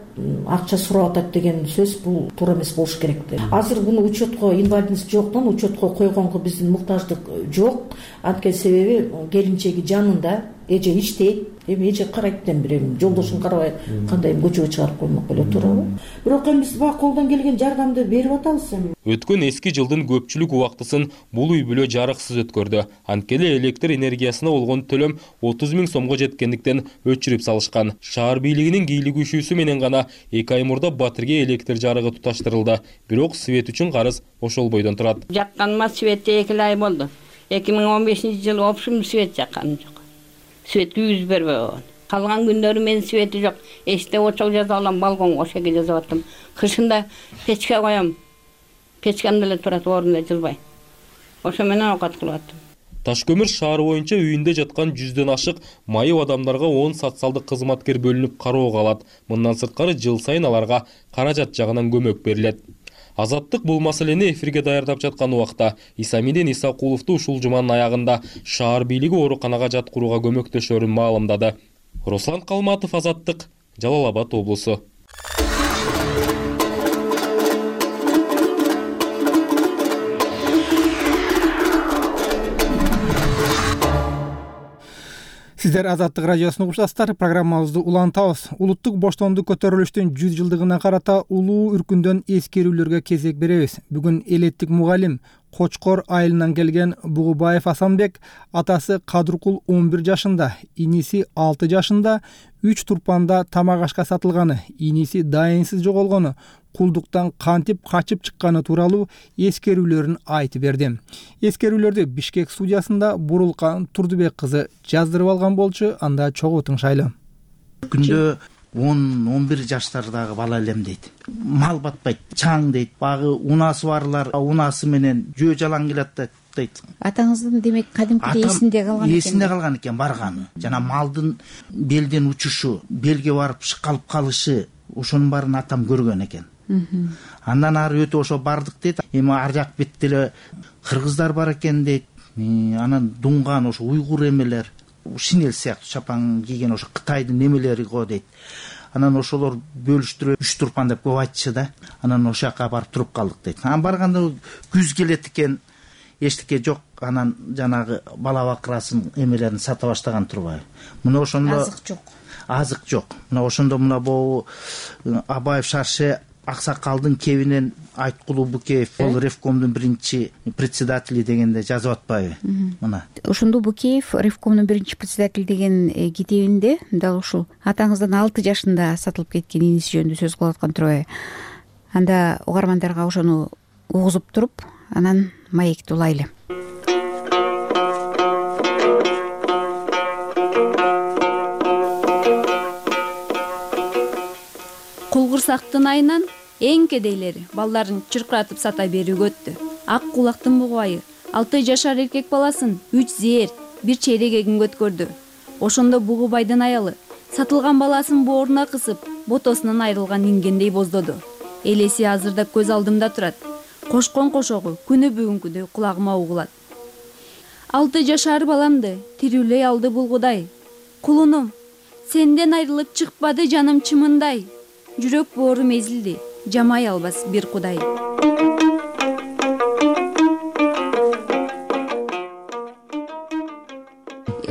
акча сурап атат деген сөз бул туура эмес болуш керек деп. Азыр буну учетко инвалидность жоктон учетко койгонго биздин муктаждык жок. Анткени себеби келинчеги жанында, эже иштейт. Эми эже карайт деп берем. Жолдошун карабай кандай көчөгө чыгарып коймок эле туурабы? Бирок эми биз бак колдон келген жардамды берип атабыз эми. Өткөн эски жылдын көпчүлүк убактысын бул үй бүлө жарыксыз өткөрдү. Анткени электр энергиясына болгон төлөм отуз миң сомго жеткендиктен өчүрүп салышкан. Шаар бийлигинин кийлигүүшүүсү менен гана эки ай мурда Батирге электр жарыгы туташтырылды. Бирок свет үчүн карыз ошол бойдон турат. Жакканыма светте эки ай болду. эки миң он бешинчи жылы вообщем свет жакканым жок. Свет күйгүзүп бербей койгон. Калган күндөрү менин свети жок. Эшикте очок жазып алам, балконго ошеге жазып аттым. Кышында печке коем. Печкем деле турат орунда жылбай. Ошо менен оокат кылып аттым. Таш көмүр шаар боюнча үйүндө жаткан жүздөн ашык майып адамдарга он социалдык кызматкер бөлүнүп кароого алат. Мындан сырткары жыл сайын аларга каражат жагынан көмөк берилет. Азаттык бул маселени эфирге даярдап жаткан убакта Исамидин Исакуловду ушул жуманын аягында шаар бийлиги ооруканага жаткырууга көмөктөшөрүн маалымдады. Руслан Калматов, Азаттык, Жалал Абад облусу. Сиздер Азаттык радиосун угушасыздар. Программабызды улантабыз. Улуттук боштондук көтөрүлүштүн жүз жылдыгына карата улуу үркүндөн эскерүүлөргө кезек беребиз. Бүгүн элеттик мугалим Кочкор айылынан келген Бугубаев Асанбек атасы Кадыркул он бир жашында, иниси алты жашында үч турпанда тамак ашка сатылганы, иниси дайынсыз жоголгону, кулдуктан кантип качып чыкканы тууралуу эскерүүлөрүн айтып берди. Эскерүүлөрдү Бишкек судьясында Бурулкан Турдубек кызы жаздырып алган болчу, анда чогуу тыңшайлы. Күндө он он бир жаштардагы бала элем дейт. Мал батпайт, чаң дейт. Багы унасы барлар унасы менен жөө жалаң келет дейт. Атаңыздын демек кадимкиде эсинде калган экен. Эсинде калган экен барганы. Жана малдын белден учушу, белге барып шыкалып калышы, ошонун баарын атам көргөн экен. Андан ары өтүп ошо бардык дейт. Эми ар жак бетте эле кыргыздар бар экен дейт. Анан дуңган ошо уйгур эмелер, шинель сыяктуу чапан кийген ошо Кытайдын немелери го дейт. Анан ошолор бөлүштүрүп үч турпан деп көп айтчы да. Анан ошол жака барып туруп калдык дейт. Анан барганда күз келет экен, эчтеке жок. Анан жанагы бала бакырасын эмелерин сата баштаган турбайбы. Мына ошондо азык жок. Азык жок. Мына ошондо мына бу Абаев шарше Аксакалдын кебинен Айткулуу Букеев, ол Ревкомдун биринчи председатели дегенде жазып атпайбы? Мына. Ошондо Букеев Ревкомдун биринчи председатели деген китебинде дал ушул атаңыздан алты жашында сатылып кеткен иниси жөнүндө сөз кылып аткан турбайбы? Анда угармандарга ошону угузуп туруп, анан маекти улайлы. Кулгурсактын айынан эң кедейлери балдарын чыркыратып сата берүүгө өттү. Ак кулактын бугубайы алты жашар эркек баласын үч зээр, бир чейрек эгинге өткөрдү. Ошондо Бугубайдын аялы сатылган баласын бооруна кысып, ботосунан айрылган ингендей боздоду. Элеси азырда көз алдымда турат. Кошкон кошогу күнү бүгүнкүдөй кулагыма угулат. Алты жашар баламды тирүүлөй алды бул Кудай. Кулунум, сенден айрылып чыкпады жаным чымындай. Жүрөк боорум эзилди, жамай албас бир Кудай.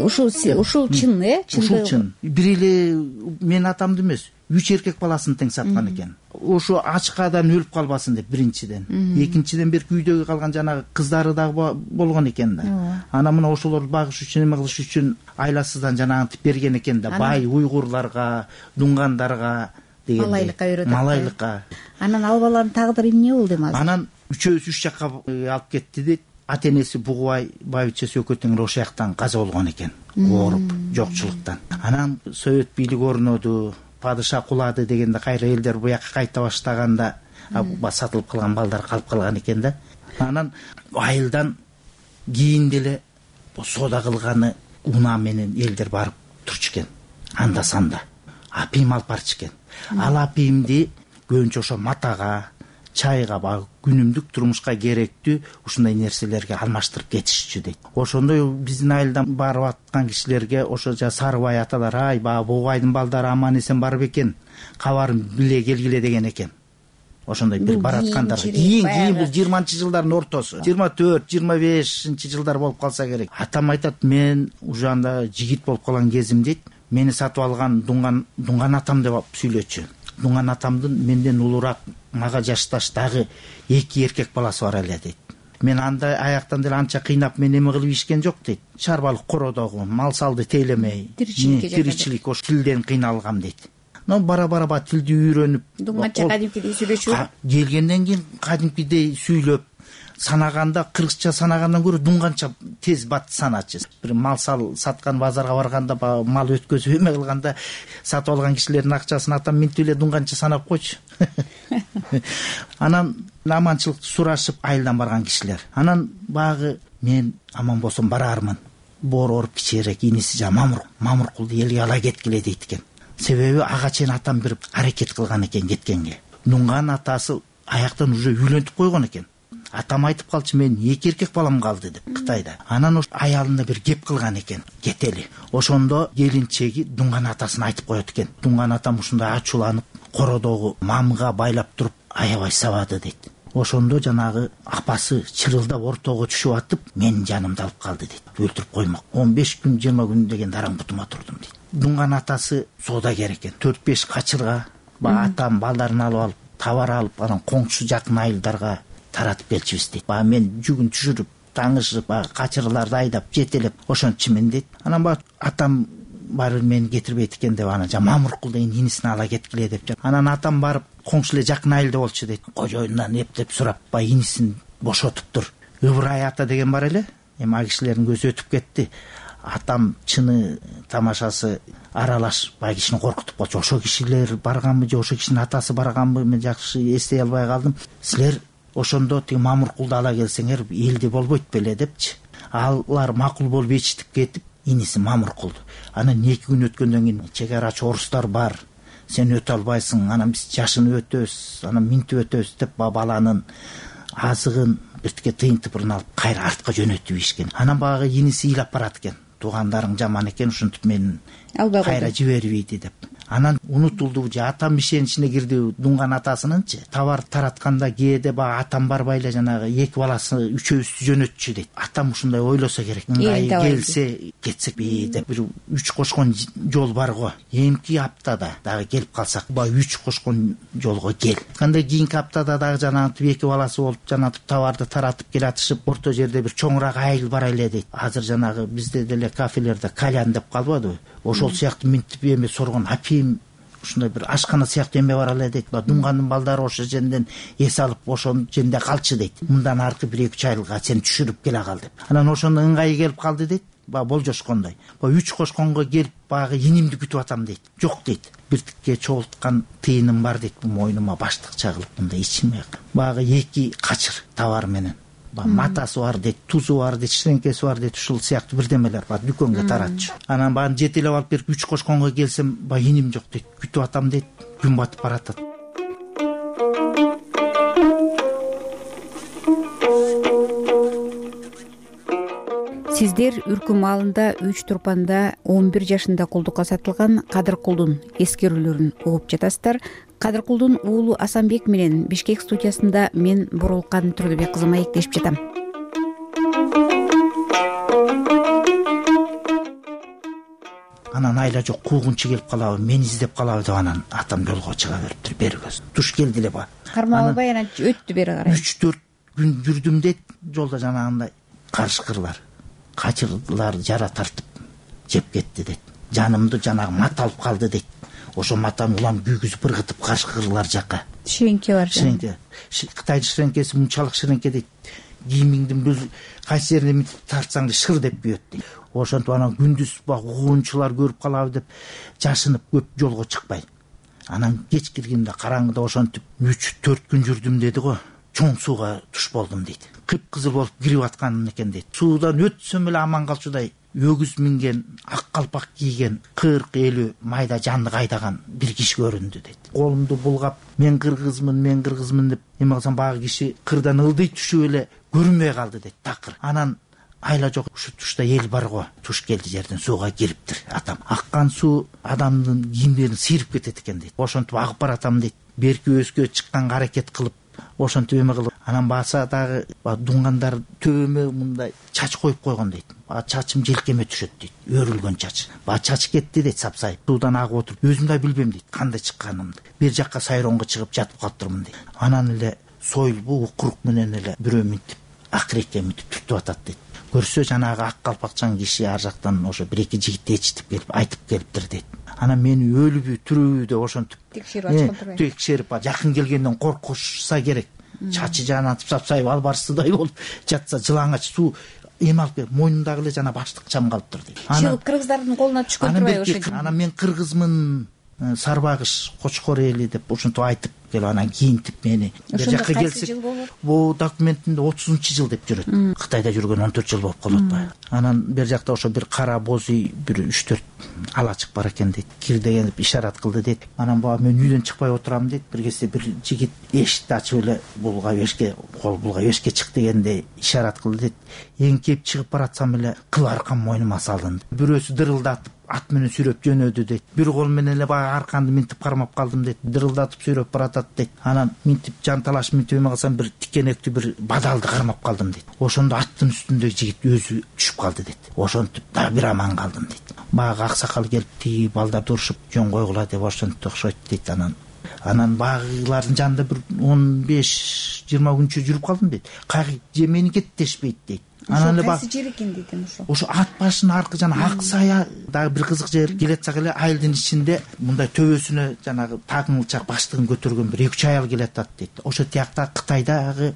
Ушул ушул чын, э? Ушул чын. Бир эле мен атамды эмес, үч эркек баласын тең саткан экен. Ошо ачкадан өлүп калбасын деп биринчиден. Экинчиден бир күйдөгү калган жанагы кыздары дагы болгон экен да. Анан мына ошолорду багыш үчүн, эме кылыш үчүн айласыздан жанагынтип берген экен да. Бай уйгурларга, дуңгандарга дегенде. Малайлыкка үйрөтөт. Малайлыкка. Анан ал баланын тагдыры эмне болду эми азыр? Анан үчөөсү үч жакка алып кетти дейт. Ата энеси Бугубай байбичеси экөө тең ошол жактан каза болгон экен. Ооруп, жокчулуктан. Анан совет бийлиги орноду, падыша кулады дегенде кайра элдер буяка кайта баштаганда сатылып калган балдар калып калган экен да. Анан айылдан кийин деле соода кылганы унаа менен элдер барып турчу экен. Анда санда апийим алып барчу экен. Ал апийимди көбүнчө ошо матага, чайга, багы күнүмдүк турмушка керектүү ушундай нерселерге алмаштырып кетишчү дейт. Ошондой биздин айылдан барып аткан кишилерге ошо жа Сарыбай аталар, ай баа Бугубайдын балдары аман эсен барып экен, кабарын биле келгиле деген экен. Ошондой бир бараткандар. Кийин кийин бул жыйырманчы жылдардын ортосу, жыйырма төрт жыйырма бешинчи жылдар болуп калса керек. Атам айтат, мен уже анда жигит болуп калган кезим дейт. Мени сатып алган дуңган дуңган атам деп сүйлөчү. Дуңган атамдын менден улураак, мага жашташ дагы эки эркек баласы бар эле дейт. Мен анда аяктан деле анча кыйнап мен эме кылып ишкен жок дейт. Чарбалык кородогу, мал салды тейлемей, тиричилик ошо тилден кыйналгам дейт. Но бара бара бара тилди үйрөнүп, дуңганча кадимкидей сүйлөчү. Келгенден кийин кадимкидей сүйлөп, санаганда кыргызча санагандан көрө дунганча тез бат саначы. Бир мал саткан базарга барганда баягы мал өткөзүп эме кылганда сатып алган кишилердин акчасын атам минтип эле дунганча санап койчу. Анан аманчылыкты сурашып айылдан барган кишилер. Анан баягы мен аман болсом барармын. Боор оруп кичирээк иниси жа Мамур Мамуркулду элге ала кеткиле дейт экен. Себеби ага чейин атам бир аракет кылган экен кеткенге. Нунган атасы аяктан уже үйлөнтүп койгон экен. Атам айтып калчу, мен эки эркек балам калды деп Кытайда. Анан ош аялына бир кеп кылган экен, кетели. Ошондо келинчеги Дунган атасына айтып коет экен. Дунган атам ушундай ачууланып, кородогу мамга байлап туруп аябай сабады дейт. Ошондо жанагы апасы чырылдап ортого түшүп атып, менин жанымды алып калды дейт. Өлтүрүп коймок. он беш күн жыйырма күн деген дараң бутума турдум дейт. Дунган атасы соодагер экен. төрт беш качырга ба атам балдарын алып алып, товар алып, анан коңшу жакын айылдарга таратып келчүбүз дейт. Ба мен жүгүн түшүрүп, таңышып, ба качырларды айдап, жетелеп ошончумен дейт. Анан ба атам барып мени кетирбейт экен деп анан жа Мамуркул деген инисин ала кеткиле деп. Анан атам барып коңшу эле жакын айылда болчу дейт. Кожоюндан эптеп сурап, ба инисин бошотуптур. Ыбырай ата деген бар эле. Эми ал кишилердин көзү өтүп кетти. Атам чыны тамашасы аралаш бай кишини коркутуп калчу. Ошо кишилер барганбы же ошо кишинин атасы барганбы, мен жакшы эстей албай калдым. Силер ошондо тиги Мамуркулду ала келсеңер элди болбойт беле депчи. Алар макул болуп ичтип кетип, иниси Мамуркулду. Анан эки күн өткөндөн кийин чек арачы орустар бар. Сен өтө албайсың, анан биз жашыны өтөбүз, анан минтип өтөбүз деп баланын азыгын биртке тыйын тыпырын алып кайра артка жөнөтүп ийишкен. Анан багы иниси ыйлап барат экен. Туугандарың жаман экен, ушинтип мени кайра жибербейди деп. Анан унутулду же атам ишеничине кирди Дунган атасынынчы. Товар таратканда кээде ба атам барбай эле жанагы эки баласы үчөөбүздү жөнөтчү дейт. Атам ушундай ойлосо керек. Ыңгай келсе кетсекпи деп бир үч кошкон жол бар го. Эмки аптада дагы келип калсак, ба үч кошкон жолго кел. Кандай кийинки аптада дагы жанагы эки баласы болуп жанатып товарды таратып келатышып, орто жерде бир чоңураак айыл бар эле дейт. Азыр жанагы бизде деле кафелерде кальян деп калбадыбы? Ошол сыяктуу минтип эме соргон апим ушундай бир ашкана сыяктуу эме бар эле дейт. Дунгандын балдары ошо жерден эс алып ошол жерде калчы дейт. Мындан аркы бир эки үч айылга сени түшүрүп келе кал деп. Анан ошондо ыңгайы келип калды дейт. Ба болжошкондой. Ба үч кошконго келип багы инимди күтүп атам дейт. Жок дейт. Биртикке чогулткан тыйыным бар дейт. Мойнума баштыкча кылып мындай ичиме. Багы эки качыр товар менен. Ба матасы бар дейт, тузу бар дейт, ширеңкеси бар дейт, ушул сыяктуу бирдемелер бар, дүкөнгө таратчу. Анан баарын жетелеп алып берип үч кошконго келсем, ба иним жок дейт, күтүп атам дейт, күн батып баратат. Сиздер Үркү маалында үч турпанда он бир жашында кулдукка сатылган Кадыркулдун эскерүүлөрүн угуп жатасыздар. Кадыркулдун уулу Асанбек менен Бишкек студиясында мен Бурулкан Турдубек кызы маектешип жатам. Анан айла жок, куугунчу келип калабы, мени издеп калабы деп анан атам жолго чыга бериптир, бергөз. Туш келди эле ба. Кармап албай анан өттү бери карай. үч төрт күн жүрдүм дейт, жолдо жанагындай карышкырлар, качырлар жара тартып жеп кетти дейт. Жанымды жанагы мат алып калды дейт. Ошо матаны улам күйгүзүп ыргытып карышкырлар жакка. Ширеңке бар. Ширеңке. Кытайдын ширеңкеси мынчалык ширеңке дейт. Кийимиңдин бир кайсы жерине тартсаң да шыр деп күйөт дейт. Ошентип анан күндүз баг угуунчулар көрүп калабы деп жашынып көп жолго чыкпай. Анан кеч киргенде караңгыда ошентип үч төрт күн жүрдүм деди го. Чоң сууга туш болдум дейт. Кыпкызыл болуп кирип аткан экен дейт. Суудан өтсөм эле аман калчудай өгүз минген, ак калпак кийген, кырк элүү майда жанды кайдаган бир киши көрүндү дейт. Колумду булгап, мен кыргызмын, мен кыргызмын деп эме кылсам багы киши кырдан ылдый түшүп эле көрүнбөй калды дейт. Такыр. Анан айла жок, ушу тушта эл бар го. Туш келди жерден сууга кириптир атам. Аккан суу адамдын кийимдерин сыйрып кетет экен дейт. Ошентип агып баратам дейт. Берки өскө чыкканга аракет кылып ошентип эме кылып, анан баса дагы Дунгандар төбөмө мындай чач коюп койгон дейт. Ба чачым желкеме түшөт дейт. Өрүлгөн чач. Ба чач кетти дейт, сапсайып. Суудан агып отуруп, өзүм да билбем дейт кандай чыкканымды. Бир жакка сайроңго чыгып жатып калыптырмын дейт. Анан эле сойлбу укурук менен эле бирөө минтип, акырекке минтип түртүп атат дейт. Көрсө жанагы ак калпакчан киши ар жактан ошо бир эки жигит ээрчитип келип айтып келиптир дейт. Анан мени өлүбү, тирүүбү деп ошентип текшерип ачкан турбайбы? Текшерип, жакын келгенден коркушса керек. чачы жанатып сапсайып албарсыздай болуп жатса жылаңач суу эме алып келип мойнундагы эле жана баштык чам калыптыр дейт. Чыгып кыргыздардын колуна түшкөн турбайбы ошо? Анан мен кыргызмын, Сарбагыш, Кочкор эли деп ушинтип айтып келип анан кийинтип мени бер жакка келсек, бул документинде отузунчу жыл деп жүрөт. Кытайда жүргөн он төрт жыл болуп калып атпайбы? Анан бер жакта ошо бир кара боз үй бир үч төрт ала чык бар экен дейт. Кир деген ишарат кылды дейт. Анан баа мен үйдөн чыкпай отурам дейт. Бир кезде бир жигит эшикти ачып эле булга эшикке, кол булга эшикке чык дегенде ишарат кылды дейт. Эңкейип чыгып баратсам эле кыл аркам мойнума салынды. Бирөөсү дырылдатып ат менен сүйрөп жөнөдү дейт. Бир кол менен эле баягы арканды минтип кармап калдым дейт. Дырылдатып сүйрөп баратат дейт. Анан минтип жанталаш минтип эме кылсам бир тикенектүү бир бадалды кармап калдым дейт. Ошондо аттын үстүндөгү жигит өзү түшүп калды дейт. Ошентип дагы бир аман калдым дейт. Баягы аксакал келип тиги балдарды урушуп жөн койгула деп ошентип окшойт дейт. Анан анан багылардын жанында бир он беш жыйырма күнчө жүрүп калдым дейт. Кайгы же мени кеттешпейт дейт. Анан эле кайсы жер экен дейт ошо. Ошо ат башынын аркы жана ак сая дагы бир кызык жер. Келатсак эле айылдын ичинде мындай төбөсүнө жанагы тагыңылчак баштыгын көтөргөн бир эки үч аял келатат дейт. Ошо тиякта Кытайдагы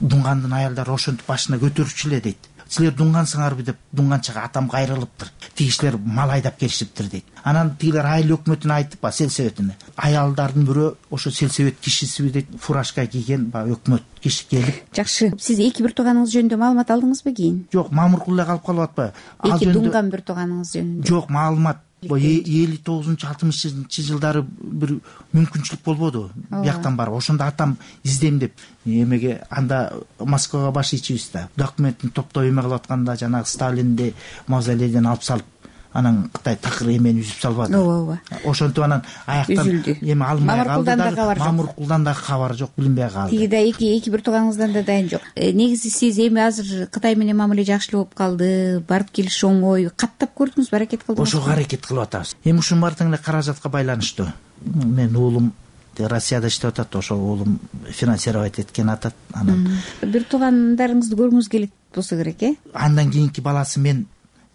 дунгандын аялдары ошентип башына көтөрүчү эле дейт. Силер дунгансыңарбы деп дуңганчага атам кайрылыптыр. Тигишлер мал айдап келишиптир дейт. Анан тигилер айыл өкмөтүнө айтып ба, сельсоветине. Аялдардын бирөө ошо сельсовет кишисиби дейт, фуражка кийген ба өкмөт киши келип. Жакшы. Сиз эки бир тууганыңыз жөнүндө маалымат алдыңызбы кийин? Жок, мамыркул эле калып калып атпайбы? Эки дунган бир тууганыңыз жөнүндө? Жок, маалымат элүү тогузунчу алтымышынчы жылдары бир мүмкүнчүлүк болбоду бияктан барып. Ошондо атам издейм деп эмеге анда Москвага баш ийчибиз да. Документин топтоп эме кылып атканда жанагы Сталинди мавзолейден алып салып, анан Кытай такыр эмени үзүп салбады. Ооба, ооба. Ошентип анан аяктан эме алынбай калды да. Мамыркулдан да кабар жок, билинбей калды. Тигиде эки эки бир тууганыңыздан да дайын жок. Негизи сиз эми азыр Кытай менен мамиле жакшылап калды, барып келиш оңой. Каттап көрдүңүзбү, аракет кылдыңызбы? Ошого аракет кылып атабыз. Эми ушунун баардыгы эле каражатка байланыштуу. Мен уулум Россияда иштеп атат, ошо уулум финансировать эткен атат. Анан бир туугандарыңызды көргүңүз келет болсо керек, э? Андан кийинки баласы мен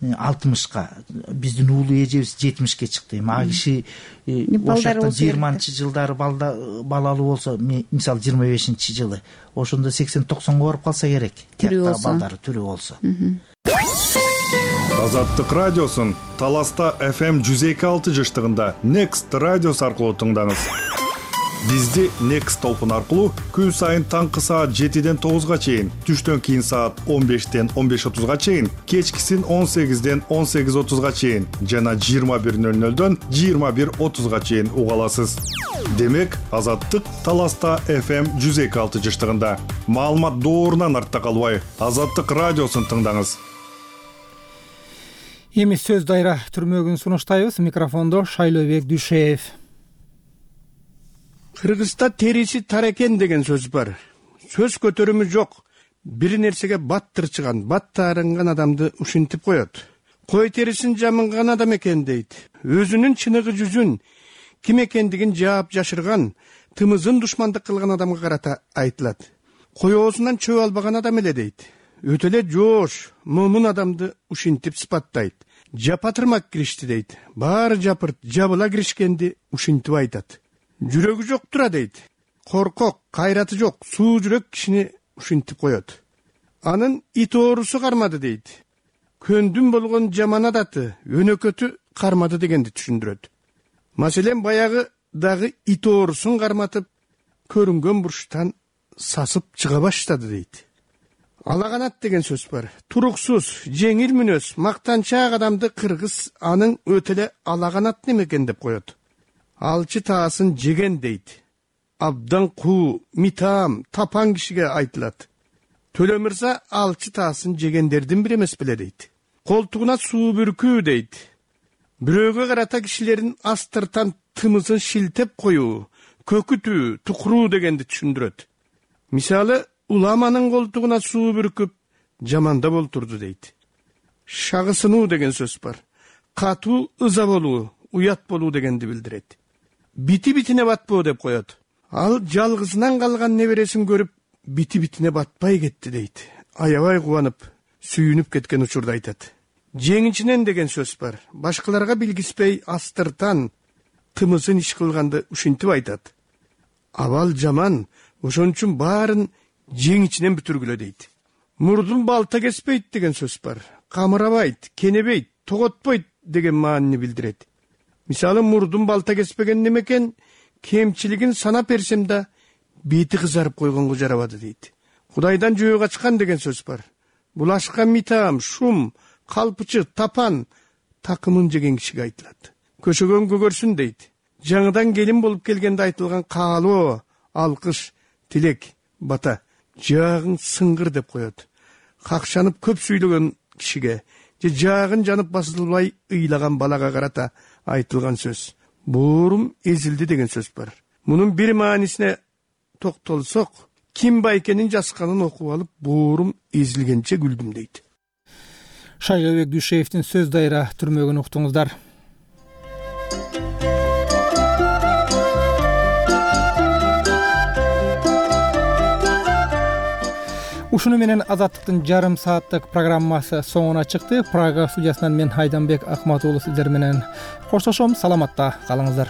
алтымышка, биздин уулу эжебиз жетимишке чыкты. Эми ага киши ошондо жыйырманчы жылдары балалуу болсо, мисалы жыйырма бешинчи жылы, ошондо сексен токсонго барып калса керек. Тиякта балдары тирүү болсо. Азаттык радиосун Таласта эф эм жүз эки алты жыштыгында Next радиосу аркылуу тыңдаңыз. Бизди Next толкун аркылуу күн сайын таңкы саат жетиден тогузга чейин, түштөн кийин саат он бештен он беш отузга чейин, кечкисин он сегизден он сегиз отузга чейин жана жыйырма бир нөл нөлдөн жыйырма бир отузга чейин уга аласыз. Демек, Азаттык Таласта эф эм жүз эки алты жыштыгында. Маалымат доорунан артта калбай, Азаттык радиосун тыңдаңыз. Эми сөз дайра түрмөгүн сунуштайбыз. Микрофондо Шайлообек Дүйшеев. Кыргызда териси тар экен деген сөз бар. Сөз көтөрүмү жок. Бир нерсеге бат тырчыган, бат таарынган адамды ушинтип коет. Кой терисин жамынган адам экен дейт. Өзүнүн чыныгы жүзүн, ким экендигин жаап жашырган, тымызын душмандык кылган адамга карата айтылат. Коёсунан чөп албаган адам эле дейт. Өтө эле жоош, момун адамды ушинтип сыпаттайт. Жапатырмак киришти дейт. Баары жапырт, жабыла киришкенди ушинтип айтат. Жүрөгү жок тура дейт. Коркок, кайраты жок, суу жүрөк кишини ушинтип коет. Анын ит оорусу кармады дейт. Көндүм болгон жаман адаты, өнөкөтү кармады дегенди түшүндүрөт. Маселен, баягы дагы ит оорусун карматып, көрүнгөн бурчтан сасып чыга баштады дейт. Алаганат деген сөз бар. Туруксуз, жеңил мүнөз, мактанчаак адамды кыргыз анын өтө эле алаганат немекен деп коет. Алчы таасын жеген дейт. Абдан куу, митаам, тапан кишиге айтылат. Төлө мырза алчы таасын жегендердин бири эмес беле дейт. Колтугуна суу бүркүү дейт. Бирөөгө карата кишилердин астыртан тымызын шилтеп коюу, көкүтүү, тукуруу дегенди түшүндүрөт. Мисалы, уламанын колтугуна суу бүркүп, жамандап олтурду дейт. Шагысынуу деген сөз бар. Катуу ыза болуу, уят болуу дегенди билдирет. Бити-битине батпоо деп коет. Ал жалгызынан калган небересин көрүп, бити-битине батпай кетти дейт. Аябай кубанып, сүйүнүп кеткен учурда айтат. Жеңичинен деген сөз бар. Башкаларга билгиспей астыртан тымызын иш кылганды ушинтип айтат. Абал жаман, ошон үчүн баарын жеңичинен бүтүргүлө дейт. Мурдун балта кеспейт деген сөз бар. Камырабайт, кенебейт, тоготпойт деген маанини билдирет. Мисалы, мурдун балта кеспеген немекен, кемчилигин санап берсем да бети кызарып койгонго жарабады дейт. Кудайдан жөө качкан деген сөз бар. Булашка митам, шум, калпычы, тапан такымын жеген кишиге айтылат. Көшөгөн көгөрсүн дейт. Жаңыдан келин болуп келгенде айтылган каалоо, алкыш, тилек, бата жаагың сыңгыр деп коет. Какшанып көп сүйлөгөн кишиге же жаагын жанып басылбай ыйлаган балага карата айтылган сөз. Буурум эзилди деген сөз бар. Мунун бир маанисине токтолсок, ким байкенин жазганын окуп алып, буурум эзилгенче күлдүм дейт. Шайгабек Дүйшеевдин сөз дайра түрмөгүн уктуңуздар. Ушуну менен Азаттыктын жарым сааттык программасы соңуна чыкты. Прага студиясынан мен Айданбек Акматуулу сиздер менен коштошом. Саламатта калыңыздар.